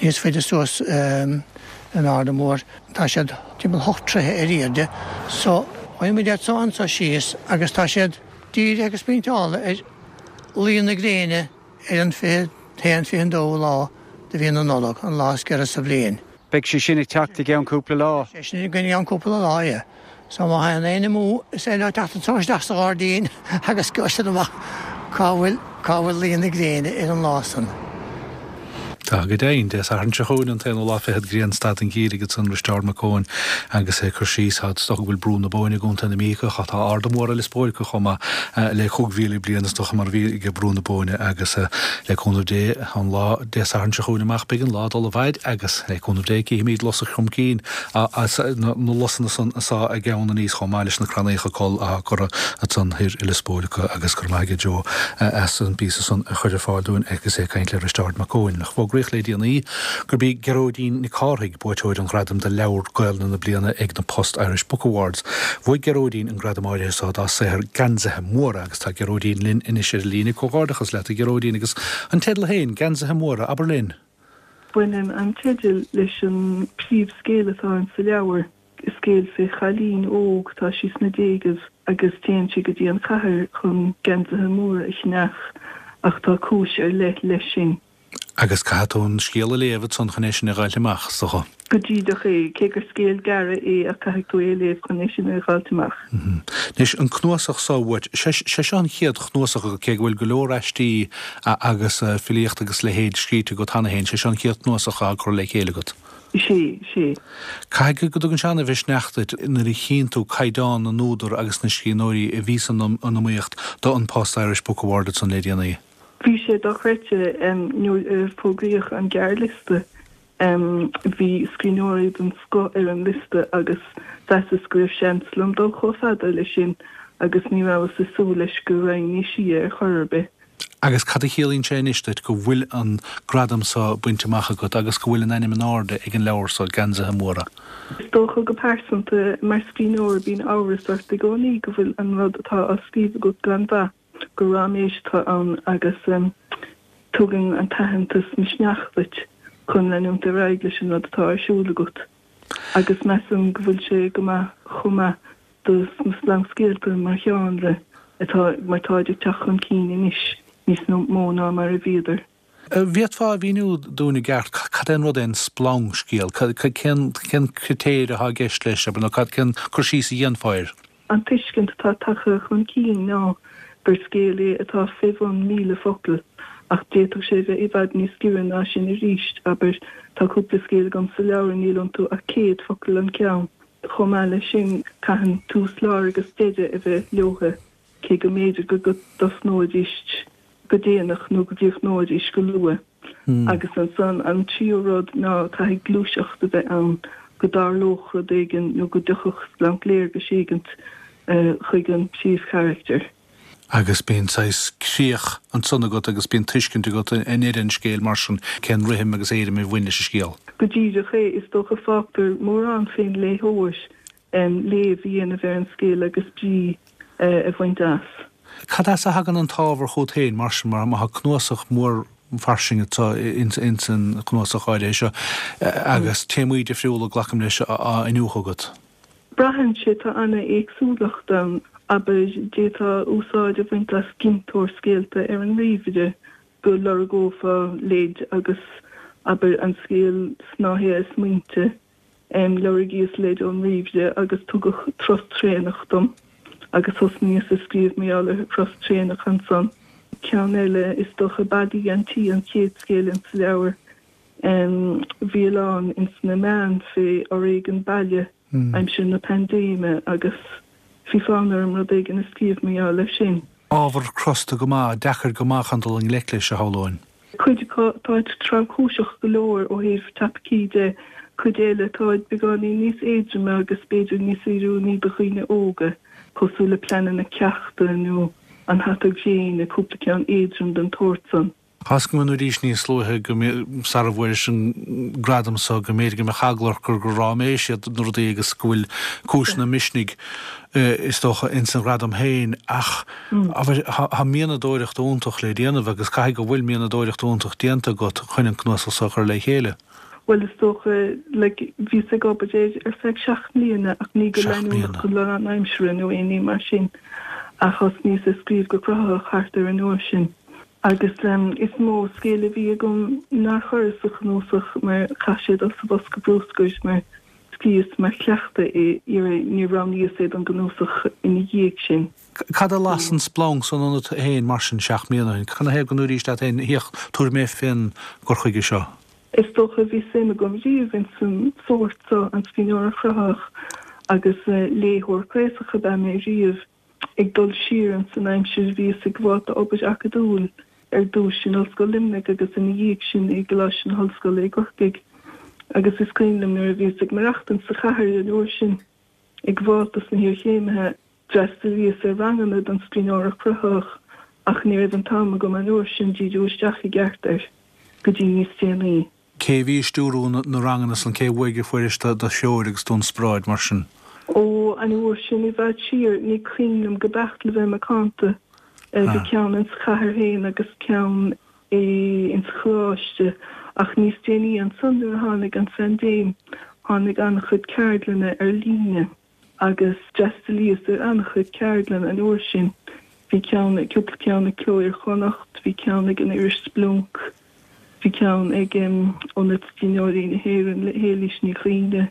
níos faide suas in Arda Mór, tá siad timpeall hocht troithe ar airde, so chuir muid iad so anso síos agus tá siad dírithe agus péinteáilte ar luí na gréine ar an fiche haon, fiche dó lá de mhí na Nollag, an lá is giorra sa bhliain. Beidh sé sin ag teacht i gceann cúpla lá. Beidh sé sin againn i gceann cúpla lá, yeah. So má théann éinne amú, is féidir leo teacht anseo isteach sa ghairdín agus gheobhaidh siad amach cá bhfuil, cá bhfuil luí na gréine ar an lá san. Tá go deimhin, Dé Sathairn seo chugainn an t-aonú lá fichead grianstad an gheimhridh ansan Risteárd Mac Eoin agus é ag cur síos, is dócha go bhfuil Brú na Bóinne i gContae na Mí acu, tá Arda Mór i Lios Póil acu chomh maith le cúig mhíle bliain is dócha mar a bhí ag Brú na Bóinne agus le cúnamh Dé an lá Dé Sathairn seo chugainn amach beidh an lá ag dul i bhfaid agus le cúnamh Dé cífimid lus Chrom Cinn na lusanna san atá ag gabhann aníos chomh maith leis na crannaíocha coll atá curtha ansan thoir i Lios Póil acu agus go raibh maith aige Joe as an bpíosa san a chur ar fáil dúinn agus é ag caint le Risteárd Mac Eoin. Fógraíodh le déanaí gurb í Gearóidín Nic Cárthaigh buaiteoir an ghradaim do Leabhar Gaelainne na Bliana ag na Post Irish Book Awards. Bhuaigh Gearóidín an gradam áirithe seo dá saothar Geansaithe Móra agus tá Gearóidín linn anois ar an líne. Comhghairdeachas leat a Ghearóidín agus an teideal féin, Geansaithe Móra, abair linn. Baineann an teideal leis an príomhscéal atá in sa leabhar, scéal fé chailín óg, tá sí sna déagaibh agus téann sí go dtí an chathair chun geansaithe móra a cheannach ach tá cúis ar leith leis sin. Agus caithfidh tú an scéal a léamh ansan chun é sin a dh'fháilt amach, is dócha. Go díreach é, cé gur scéal gearr é ach caithfidh tú é a léamh chun é sin a dh'fháilt amach. Anois, an cnuasach so uait, sé seo an chéad chnuasach agat, cé go bhfuil go leor aistí agus filíocht agus a leithéid scríte agat cheana féin, sé seo an chéad chnuasach atá curtha le chéile agat. Is ea, is ea. Caithfidh go dtugann sé an-mhisneach duit nuair a chíonn tú caighdeán na n-údar agus na scríbhneoirí a bhí san iomaíocht do An Post Irish Book Award ansan le déanaí. Bhí sé dochreidte nuair a fógraíodh an gearrliosta. Bhí scríbhneoirí den scoth ar an liosta agus mheasas go raibh seans liom dul chomh fada leis sin agus ní rabhas ag súil leis go raghainn níos sia ar chor ar bith. Agus cad a chiallaíonn sé anois duit go bhfuil an gradam so bainte amach agat agus go bhfuil an ainm in airde ag an leabhar so, Geansaithe Móra? Is dócha go pearsanta, mar scríbhneoir, bíonn amhras ort i gcónaí go bhfuil an rud atá á scríobh agat gan mhaith. gur raiméis atá ann agus tugann an t-aitheantas misneach duit chun leanúint ar aghaidh leis an rud atá ar siúl agat. Agus measaim go bhfuil sé go maith chomh maith do na splancscéalta mar sheánra atá mar táid ag teacht chun cinn anois níos mó ná mar a bhíodar. Bhféadfá a mhíniú dúinn i gceart cad é an rud é an splancscéal? Cén cén critéir atá i gceist leis, abair, nó cad cén cur síos a dhéanfá air? An tuiscint atá tagtha chun cinn ná gur scéal é atá fé bhun míle focal, ach d'fhéadfadh sé bheith i bhfad níos giorra ná sin arís, abair, tá cúpla scéal agam sa leabhar, níl iontu ach céad focal an ceann. Chomh maith leis sin, caitheann tús, lár agus deireadh a bheith leothu, cé go mb'fhéidir go dtosnóidís go déanach nó go gcríochnóidís go luath. Agus ansan an tríú rud ná caithfidh gluaiseacht a bheith ann, go dtarlódh rud éigin nó go dtiocfadh splanc léargais éigint chuig an príomhcharachtar. Agus bíonn saghas críoch ansan agat agus bíonn tuiscint agat i ndeireadh an scéil mar sin cén rithim agus éirim a bhain leis an scéal. Go díreach é, is dócha fágtar mórán fén léitheoir léamh a dhéanamh ar an scéal agus brí a bhaint as. Cad as a thagann an t-ábhar chugat féin mar sin, mar má tá cnuasach mór fairsing atá ins an chnuasach áirithe seo agus téamaí difriúla, glacaim leis, á iniúchadh agat? Braitheann sé, tá ana-éagsúlacht ann. Abair, d'fhéadfá úsáid a bhaint as ginteoir scéalta ar an ríomhaire, go lorgófá leid agus, abair, an scéal Snáithe a Smaointe. Lorgaíos leid ón ríomhaire agus tugadh turas traenach dom agus thosnaíos ag scríobh mar gheall ar thuras traenach ansan. Ceann eile, is dócha Ballaí an Tí an chéad scéal insa leabhar. Bhí a lán ins na meáin fé fhoréigean baile aimsir na paindéime agus bhí fonn orm rud éigin a scríobh mar gheall air sin. Ábhar crosta go maith, deacair go maith chun dul i ngleic leis, a shamhlóinn. Cuid acu, táid tromchúiseach go leor ó thaobh topaicí de, cuid eile, táid beagáinín níos éadroime agus b'fhéidir níos oiriúnaí do dhaoine óga, cosúil le pleananna ceachta nó An Hata Gréine, cúpla ceann éadrom den tsórt san. Tá 's agam arís níos luaithe go sara bhfuairis an gradam so go mb'fhéidir go mbeadh eagla ort gur gur ráiméis iad na rudaí agus go bhfuil cúiseanna misnigh is dócha ins an ghradam féin ach abair tá mianadóireacht iontach le déanamh agus caithfidh go bhfuil mianadóireacht iontach déanta agat chun an cnuasach so a chur le chéile. Bhuel is dócha like bhíos ag obair air ar feadh seacht mbliana ach ní go Seacht leanúnach mbliana. go lánaimseartha nó aon ní mar sin ach thosnaíos ag scríobh go cruthaitheach thart ar an uair sin. Agus is mó scéal a bhí agam nár chuireas sa chnuasach mar chaith sé dul sa bhosca bruscair mar scríobhas mar chleachtadh é, níor roghnaíos é don gcnuasach ina dhiaidh sin. Cad a las an splanc san ionat féin mar sin seacht mbliana ó shin? Canathaobh go ndúraís leat féin, Féach, tabharfaidh mé fén gcur chuige seo? Is dócha, bhí suim agam riamh ins an sórt so, an scríbhneoireacht chruthaitheach, agus léitheoir cuíosach ab ea mé riamh. Ag dul siar ins an aimsir bhíos ag gabháil d'obair acadúil ar dtúis in Ollscoil Luimnigh agus ina dhiaidh sin i gColáiste na hOllscoile i gCorcaigh agus is cuimhin liom nuair a bhíos ag maireachtaint sa chathair an uair sin ag gabháil dos na hiarchéimithe d'fhreastalaíos ar ranganna don scríbhneoireacht chruthaitheach ach ní raibh an t-am agam an uair sin díriú isteach i gceart air go dtí níos déanaí. Cé a bhí ag stiúrú na ranganna san, cé uaidh a fuairis do threoir agus d'inspioráid mar sin? Ó, an uair sin i bhfad siar, ní cuimhin liom go beacht le bheith macánta. Bhí ceann ins chathair féin agus ceann ins choláiste ach níos déanaí ansan nuair a tháinig an phaindéim tháinig an-chuid ceardlanna ar líne. agus d'fhreastalaíos ar an-chuid ceardlann an uair sin. Bhí ceann, cúpla ceann ag Cló Iar-Chonnacht, bhí ceann ag an iris Spluanc, Bhí ceann ag Ionad Scríbhneoirí na hÉireann le hÉilís Ní Chuinn.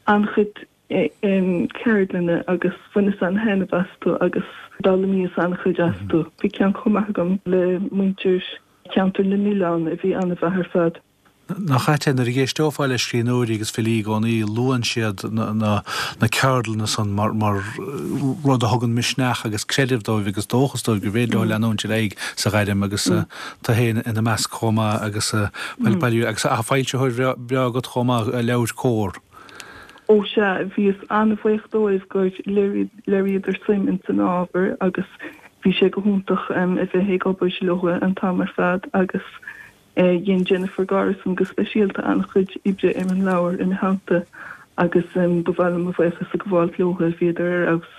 An-chuid ceardlanna agus bhaineas an-taitneamh astu agus d'fhoghlaimíos an-chuid astu. Bhí ceann chomh maith agam le muintir Cheantar na nOileán a bhí an-mhaith ar fad. Nach ait é, nuair a dh'éisteofá le scríbhneoirí agus filí i gcónaí, luann siad na ceardlanna san mar rud a thugann misneach agus creideamh dóibh agus dóchas dóibh gur féidir leo leanúint ar aghaidh sa ghairm agus tú féin ina measc chomh maith agus, bhuel, bailiú agus tá foilsitheoir breá agat chomh maith, LeabhairCOMHAR. Ó sea, bhíos an-bhuíoch dóibh gur léiríodar suim ins an ábhar agus bhí sé go hiontach a bheith ag obair leo an t-am ar fad agus Dhein Jennifer Garrison go speisialta an-chuid oibre ar an leabhar ina theannta agus ba mhaith liom mo bhuíochas a ghabháilt leo, bhíodar ar fheabhas.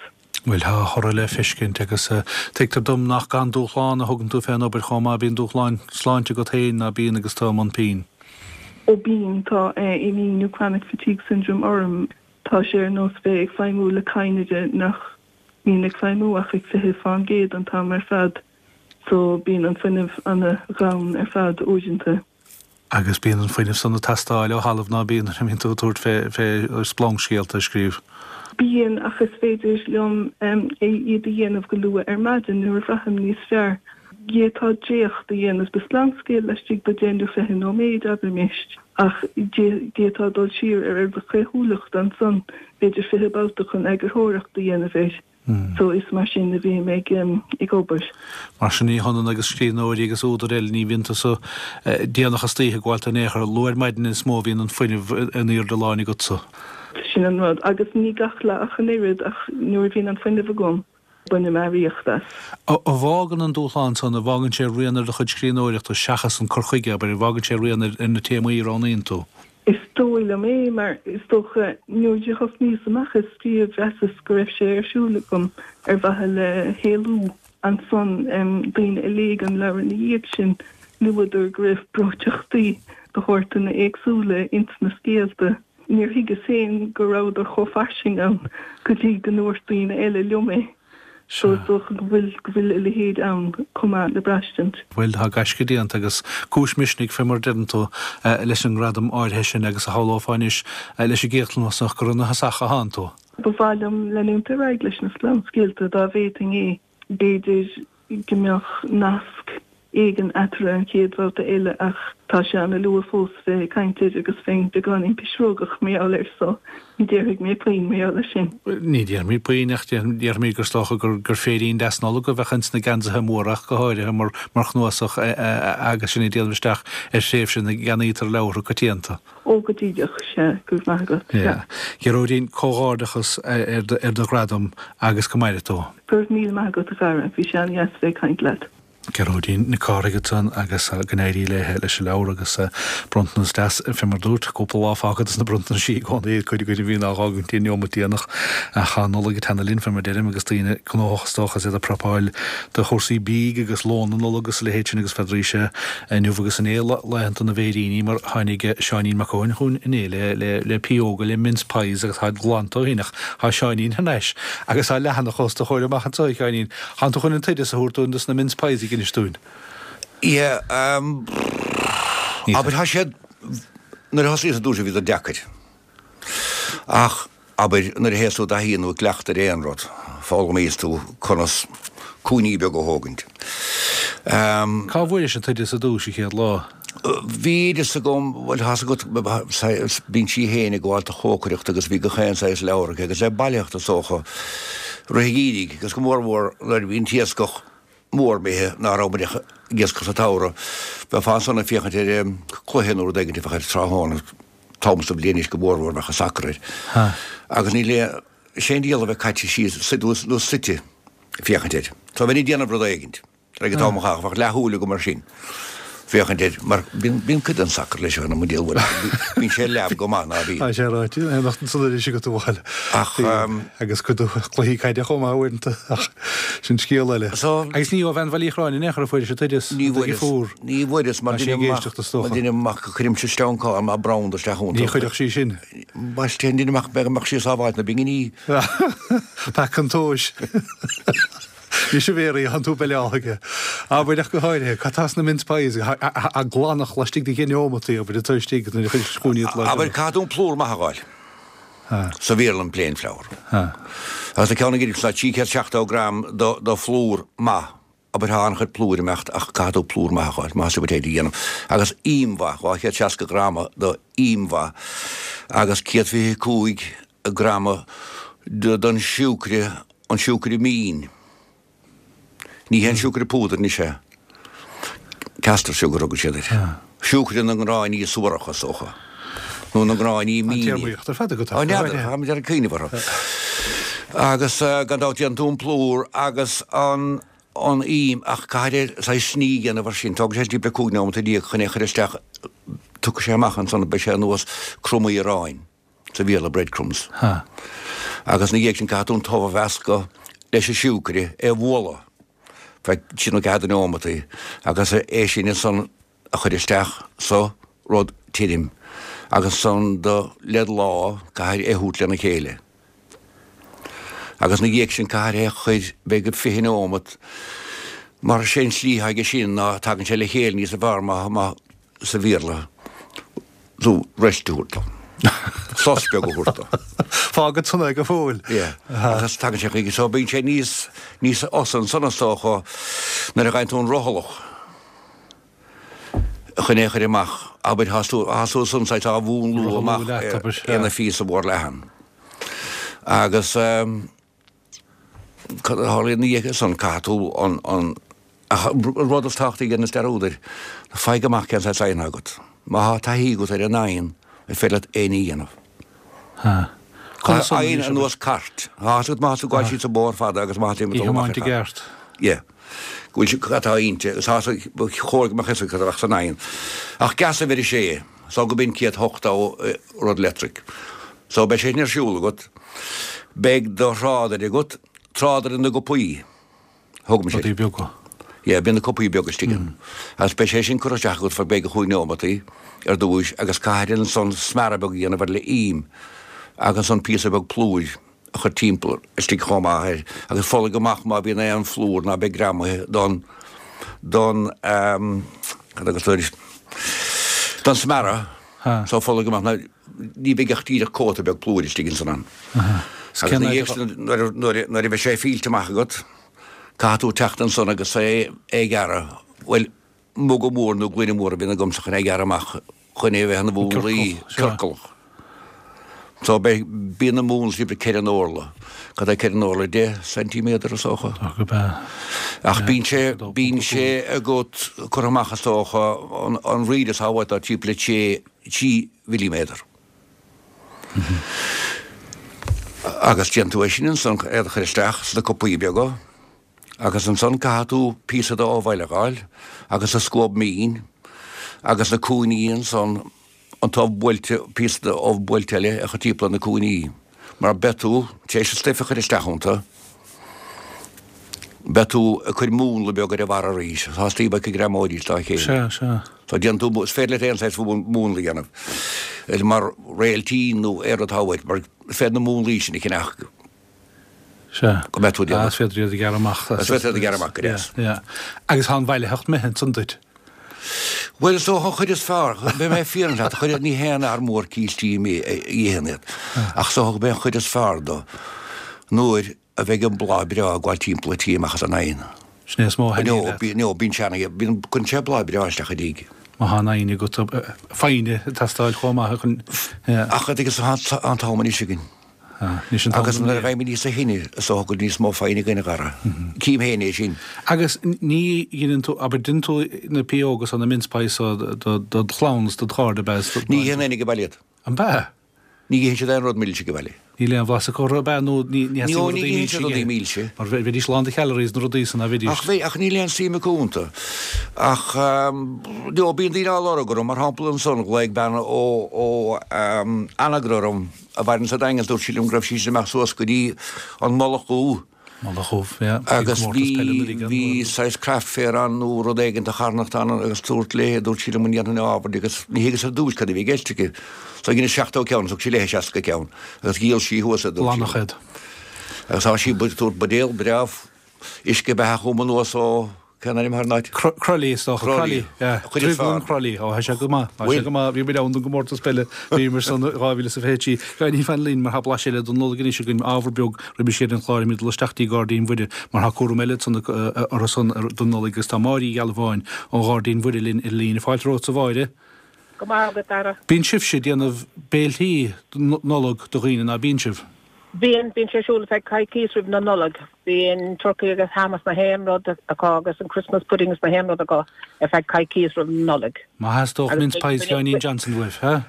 Bhuel, tá a thoradh le feiscint agus tuigtear dom nach gan dúshlán a thugann tú fén obair chomh maith, bíonn dúshláin sláinte agat féin, ná bíonn, agus tú i mbun pinn? Ó bíonn, tá imní nó chronic fatigue syndrome orm. Tá sé ar nós bheith ag feidhmiú le cadhnaire nach mbíonn ag feidhmiú ach ag fiche fán gcéad an t-am ar fad. So bíonn an fuinneamh ana-ghann ar fad uaireanta. Agus bíonn an fuinneamh san ag teastáil ó thalamh, ná bíonn, nuair a bhíonn tú ag tabhairt fé, fé splancScéalta a scríobh? Bíonn, ach is féidir liom iad a dhéanamh go luath ar maidin nuair a bhraithim níos fearr. D'fhéadfá dréacht a dhéanamh de splancScéal laistigh de deich nó fiche nóiméad, abraimis, ach d'fhéadfá dul siar air ar do chaothúlacht ansan, b'fhéidir fiche babhta chun eagarthóireacht a dhéanamh air. So is mar sin a bhím ag ag obair. Mar sin ní hionann agus scríbhneoirí agus údair eile, ní bhíonn tusa déanach istoíche ag gabháilt in aon chor. Luath ar maidin is mó a bhíonn an fuinneamh in airde láin agatsa. Sin an rud. Agus ní gach lá ach an oiread, ach nuair a bhíonn an fuinneamh agam, bainim earraíocht as. An bhfágann an dúshlán san, an bhfágann sé rian ar do chuid scríbhneoireachta seachas an cur chuige, abair, an bhfágann sé rian ar na téamaí a roghnaíonn tú? Is dóigh liom é, mar is dócha nuair a thosnaíos amach ag scríobh mheasas go raibh sé ar siúl agam ar mhaithe le héalú. Ansan, daoine a léigh an leabhar ina dhiaidh sin, luadar go raibh breoiteachtaí de shórtanna éagsúla ins na scéalta. Níor thuigeas féin go rabhadar chomh fairsing ann go dtí go ndúirt daoine eile liom é. So is dócha go bhfuil, go bhfuil a leithéid ann chomh maith le braistint. Bhuel, tá gaisce déanta agus cúis misnigh, fé mar a deireann tú, leis an ngradam áirithe sin agus a shamhlófá anois leis an gcéad chnuasach gur ina thosach atánn tú. Ba mhaith liom leanúint ar aghaidh leis na splancScéalta dá bhféadfainn é. B'fhéidir go mbeadh nasc éigin eatarthu an chéad bhabhta eile ach tá sé ana luath fós bheith ag caint air agus bheinn beagáinín pisreogach mar gheall air so ní déarfaidh mé puinn mar gheall air sin. Ní déarfaimid puinn ach déarfaimid gur dócha gur féirín deas Nollag a bheadh ins na geansaithe móra ach go háirithe mar chnuasach agus sin ag déanamh isteach ar thréimhse ina gceannaítear leabhartha coitianta. Ó go díreach, sea, go raibh maith agat, sea. Gearóidín, comhghairdeachas ar do ghradam agus go maire tú. Go raibh míle maith agat a Dhara, bhí sé an-dheas bheith ag caint leat. Gearóidín Nic Cárthaigh ansan agus go n-éirí léi leis an leabhar agus bronntanas deas fé mar dúirt, cúpla lá fágtha dos na bronntanasí i gcónaí, cuid againn a bhíonn á dh'fhágaint dtí an neomat déanach ach tá an Nollaig ag teannadh linn fé mar deirim agus daoine gnóthach is dócha is iad ag prapáil do chúrsaí bídh agus lón na Nollag agus a leithéid sin agus n'fheadraíse inniu agus inné laethanta na bhféiríní mar tháinig Seáinín Mac Eoin chugainn inné le le le pióga le mince pies agus táid glanta ó shin ach tá Seáinín thar n-ais agus tá leathanach os do chomhair amach anso a Sheáinín. Tánn tú chun an t-oideas a thabhairt dúinn dos na mince pies ag inis dúinn. Yeah, um, abair tá siad, nuair a thosaíos ar dtús bhíodar deacair. Ach, abair, nuair a théas tú i dtaithí nó i gcleachtadh ar aon rud, foghlaimíos tú conas cúinní beaga a thógaint. Um, Cá bhfuairis an t-oideas ar dtús an chéad lá? Bhí oideas agam, bhuel, tá's agat, bíonn sí féin ag gabháil do chócaireacht agus bhí gach aon saghas leabhar aici agus é bailithe is dócha rith an gheimhridh agus go mór mhór nuair a bhí an t-iascach mór imithe ná raibh muid ach ag iascach sa tsamhradh. Bheifeá ansan ag féachaint ar cluiche nó rud éigin a bheadh ar tráthnóna, t-am sa bhliain anois go mór mhór bheadh an sacar air. Agus níl aon, sé an diabhal a bheith caite síos nó suite ag féachaint air. So bheinn ag déanamh rud éigint. Ag an t-am a chaitheamh, bheadh leathshúil agam air sin, féachaint air, mar bíonn cuid den sacar leis an mbuidéal bhuel, bíonn sé leamh go maith, ná bíonn. Tá sé ráite, nach san arís agat a bhaile. Ach. Agus cuid de chluichí caide chomh maith uaireanta, ach sin scéal eile. So. Agus ní ó bhean Bhaile Uí Chorráin in aon chor a fuairis an t-oideas, Ní an bhfuaireas, fuar. ní bhfuaireas, mar Tá sí ag deinim amach, éisteacht is mar dócha. deinim amach go cuirimse stiancán maith branda isteach iontu. Ní chuirfeadh sí sin. Bhuel, deinim amach go mbeadh sí sábháilte na binginí. Paca an tomhais. Anois a Mhéaraí, thánn tú baileáilte. Abair ach go háirithe, cad tá sna mince pies a glanadh laistigh de dheich neomataí, abair, atá istigh nuair a chuir chugainn iad lá Abair, caithfidh tú an plúr maith a fháil. Sa Bhéarla an plain flour. Agus tá ceann ag iarraidh trí chéad seachtó gram de phlúr maith. Abair tá an-chuid plúir ag imeacht ach caithfidh tú plúr maith a fháil, má tá tú ag déanamh. Agus im mhaith, dhá chéad seasca grama de im mhaith agus céad fiche cúig grama den siúcra, an siúcra mín. Ní hé an siúcra púdair anois é. Caster sugar a thugann siad air. Siúcra na ngráinní suaracha, is dócha. Nó na ngráinní An míne. téarmaíocht ar fad agat Ó, n'fheadar, táimid ar an cuimhneamh orthu. Agus gan dabht déanann tú an plúr agus an an im ach caithfidh saghas sní a dhéanamh air sin. Tógfaidh sé timpeall cúig nóimeat déag chun é a chur isteach. Tiocfaidh sé amach ansan, beidh sé ar nós cromaí aráin. sa Bhéarla bread crumbs. Agus ina dhiaidh sin caithfidh tú an t-ubh a mheascadh leis an siúcra, é a bhualadh feadh trí nó ceathair de neomataí agus é sin ansan a chur isteach sa rud tirim agus ansan do led lámh caithfidh é a thabhairt lena chéile. Agus ina dhiaidh sin caithfidh é a chur b'fhéidir fiche neomat mar sé an tslí atá aige sin ná tagann sé le chéile níos fearr má má sa Bhéarla tú rest a thabhairt dó. Sos beag a thabhairt dó. Fág ansan é go fóill. Yeah. Agus tagann sé chuige so bíonn sé níos níos fusa ansan is dócha nuair a gheibheann tú an rothlach chun é a chur amach. Abair thá tú thá tú ansan saghas á mhúnlú amach ina phíosa mhór leathan. Agus ehm cad a tharlaíonn ina dhiaidh san caithfidh tú an an Ach an rud is tábhachtaí a dhéanas dearúd air, faigh amach cén saghas oighinn atá agat. Má thá taithí agat ar an oigheann, is féidir leat aon ní a dhéanamh. Conas san Oigheann ar nós cairt. Tá fhios agat má tá tú ag gabháil síos an bóthar fada agus má tá tú ag dul amach Í thiomáint i ar gceart. Yeah. Go bhfuil sé, cad atá inti, agus tá fhios agat, ba chóir go mbeadh fhios agat cad a bheadh san oigheann. Ach gas a bheireas sé, so go b'in céad hochtó rud leictric. So beidh sé sin ar siúl agat. Beidh do thrádaire agat, trádaire na gcupaí. Thug mise. Rudaí beaga. Yeah, bíonn na cupaí beaga istigh ann. Agus beidh sé sin curtha isteach agat feadh b'fhéidir chúig neomataí ar dtúis agus caithfidh ansan smearadh beag a dhéanamh air le im agus ansan píosa beag plúir a chur timpeall istigh chomh maith air agus folaigh amach má bhíonn aon phlúr ná beidh greamaithe don don ehm cad agus tú don smearadh so folaigh amach ná ní bheidh ach díreach cóta beag plúir istigh insan ann. Agus ina dhiaidh sin nuair nuair nuair a bheidh sé fillte amach agat Caithfidh tú teacht ansan agus é a ghearradh. Bhuel, muga mór nó gloine mór a bhíonn agamsa chun é a ghearradh amach chun é a bheith ina mhúnlaí ciorclach. So beidh, bíonn na múnlaí timpeall ceithre n-orla. Cad é ceithre n-orla? Deich ceintiméadar is dócha. Ach bíonn sé, bíonn sé agat curtha amach is dócha, an radius atá uait ná timpeall le sé, trí mhilliméadar. Agus déanann tú é sin ansan, iad a chur isteach sna cupaí beaga agus ansan caithfidh tú píosa d'ubh eile a fháil agus an scuab mín agus na cúinní ansan, an t-ubh buailte, píosa d'ubh buailte eile a chur timpeall ar na cúinní mar beidh tú, tar éis an stuif a chur isteach iontu, beidh tú ag cur múnla beag ar a bharr arís, tá is taobh acu greamóidís dá chéile. Sea, sea. So déanann tú, is féidir leat aon saghas múnla a dhéanamh, mar réiltín nó aon rud atá uait, mar is féidir na múnlaí sin a cheannach Sea. go mbeidh tú ag Ah, déanamh. is féidir iad a ghearradh amach. Is féidir iad a ghearradh amach go deas. Yeah, yeah. Agus tá an bhailitheacht imithe ansan duit. Bhuel, is dócha an chuid is fearr, beidh mé fírinneach leat, an chuid, ní haon fhear mór cístí mé a itheann iad, ach is dócha go b'é an chuid is fearr do nuair a bheidh an bláth breá ag gabháil timpeall an tí amach as an oigheann. Sin é is mó a thaitníonn leat. No, bíonn sé ana, bíonn, cuireann sé bláth breá isteach i dtigh. Má tá an oigheann agat, foighne ag teastáil chomh maith chun, yeah. Ach agus tá an t-am anois againn. Ah, anois an t-am Agus nuair a bheimid níosa shine, is dócha go bhfuil níos mó foighne againn a Dhara. Cím féin é sin. Agus ní dheineann tú, abair, deineann tú na pióga so, na mince pies so do do chlann is do chairde ab ea? Ní itheann éinne ag baile iad. An b'ea? Ní itheann siad aon rud milse ag baile. Níl aon bhlas acu orthu, ab ea? Nó ní Ní theastaíonn ní rudaí itheann milse siad rudaí milse. Mar bheidís lán de calories na rudaí san, ná bheidís? Ach bheidh, ach níl aon suim acu iontu. Ach no, bíonn daoine á lorg orm, mar shampla ansan, ghlaoigh bean ó ó Anagaire orm a mhaireann sa Daingean, dúirt sí liom go raibh sí ag imeacht suas go dtí an Mullach Dhubh. Mullach Dhubh, yeah. Bhí Agus comórtas bhí, peile na Lige bhí ann. saghas craft fair ann nó rud éigin do charthanacht ann agus dúirt léi, dúirt sí liom an ndéanfainn ábhar di agus ní thuigeas ar dtús cad a bhí i gceist aici. So dheineas seachtó ceann, thug sí léi seasca ceann agus dhíol sí thuas é, dúirt sí Glanach liom. iad. Agus tá sí ag tabhairt buidéal breá uisce beatha chugam anuas ó, cén ainm ar an áit? Crolly is dócha. Crolly. Yeah. An chuid is Drioglann fearr. Crolly. Ó, tá sé go maith. Tá sé Bhfuil. go maith. Bhí muid ann don gcomórtas peile. Bhíomar san dhá mhíle is a fiche trí. Sheáinín, fan linn mar tá blaiseadh eile don Nollaig anois againn, ábhar beag roimhe siar an chláir muid dul isteach dtí Gairdín Mhuire mar tá cúram eile ansan orthu san don Nollaig agus tá Máire Uí Ghealbháin ó Ghairdín Mhuire linn ar líne. Fáilte romhat a Mháire. Go maith agat, Dara. Bíonn sibhse ag déanamh béiltí Nollag do dhaoine, ná bíonn sibh? Bíonn, bíonn sé ar siúl ar feadh coicíos roimh na Nollag. Bíonn turcaí agus ham is na haon rud acu agus an Christmas pudding is na haon rud acu ar feadh coicíos roimh na Nollag. Má theastódh mince pies Sheáinín Johnson uaibh, ha?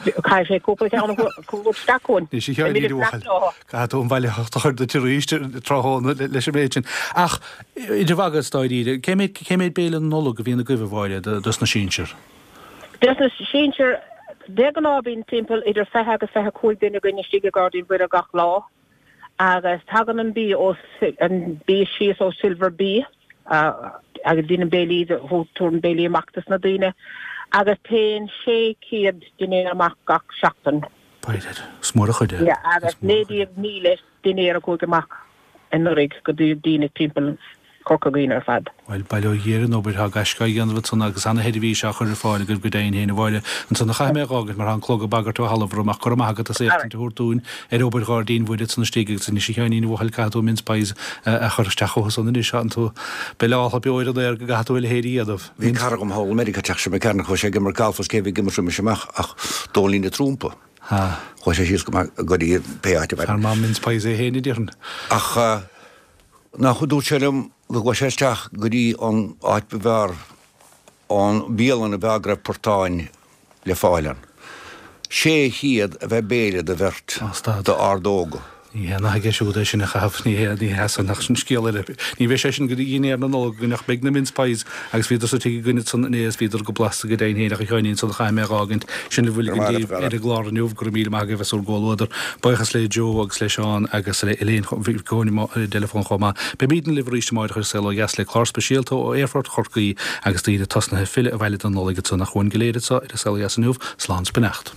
Caithfidh sé cúpla ceann a thabhairt isteach chugainn. Anois a Sheáinín a bhuachaill, caithfidh tú an bhailitheoireacht a chur duit arís tráthnóna leis an méid sin. Ach idir mhagadh is dáiríre, cé mhéad, cé mhéad béile Nollag a bhíonn agaibh a Mháire dos na sinsir? Dos na sinsir, de ghnáth bíonn timpeall idir fiche agus fiche cúig duine againn istigh i Gairdín Mhuire gach lá agus tagann an bia ó an bia síos ó Silver Bee agus déanann béilí tabharann béilí amach dos na daoine agus téann sé chéad dinnéar amach gach seachtain. B'fhéidir. Is mór a chuid é. Yeah, agus naoi déag míle dinnéar a chuaigh amach anuraidh go dtí daoine timpeall Chorca Dhuibhne ar fad. Bhuel, bail ó Dhia ar an obair atá gaisce á dhéanamh ansan agus ana-sheirbhís á chur ar fáil agaibh go deimhin féin a Mháire. Ansan a chaithfidh mé a dh'fhágaint mar tá an clog ag bagairt ó thalamh orm ach go raibh maith agat as éachtaint a thabhairt dúinn ar obair Ghairdín Mhuire ansan istigh agus anois a Sheáinín a bhuachaill caithfidh tú mince pies a chur isteach chucu san anois tánn tú Béal Átha beo ar an aer go gcaithfidh tú a leithéid a dhéanamh. Bhí cara agam thall i Meiriceá teach sin McCarran chuaigh sé ag imirt galf is cé bhí ag imirt roimis amach ach Dónallín an Trumpa. Chuaigh sé síos go maith go dtí pé áit a Fear maith mince pies é féin a déarfainn. Ach nach dúirt sé liom go gcuaigh sé isteach go dtí an áit ba bhfearr, an bialann a bheadh go raibh portáin le fáil ann. Sé chéad a bheith béile do bheirt d'ordóga. Ní hé nach aige siúd é sin a chaitheamh, ní hé, ní hé san, ach sin scéal eile. Ní bheidh sé sin go dtí dhinnéar na Nollag againn ach beidh na mince pies agus bhíodar sa tigh againn ansan inné is bhíodar go blasta go deimhin féin ach a Sheáinín san a chaithfidh mé a dh'fhágaint. Sin a bhfuil againn daoibh ar an gclár inniu. Go raibh míle maith agaibh as bhur gcomhluadar. Buíochas le Joe agus le Seán agus le Elaine bhí ar an dteileafón chomh maith. Beimidne libh arís amárach ar An Saol Ó Dheas le clár speisialta ó Aerfort Chorcaí agus daoine tosnaithe ag filleadh abhaile don Nollaig ansan ach uainn go léir anseo ar An Saol Ó Dheas inniu, slán 's beannacht.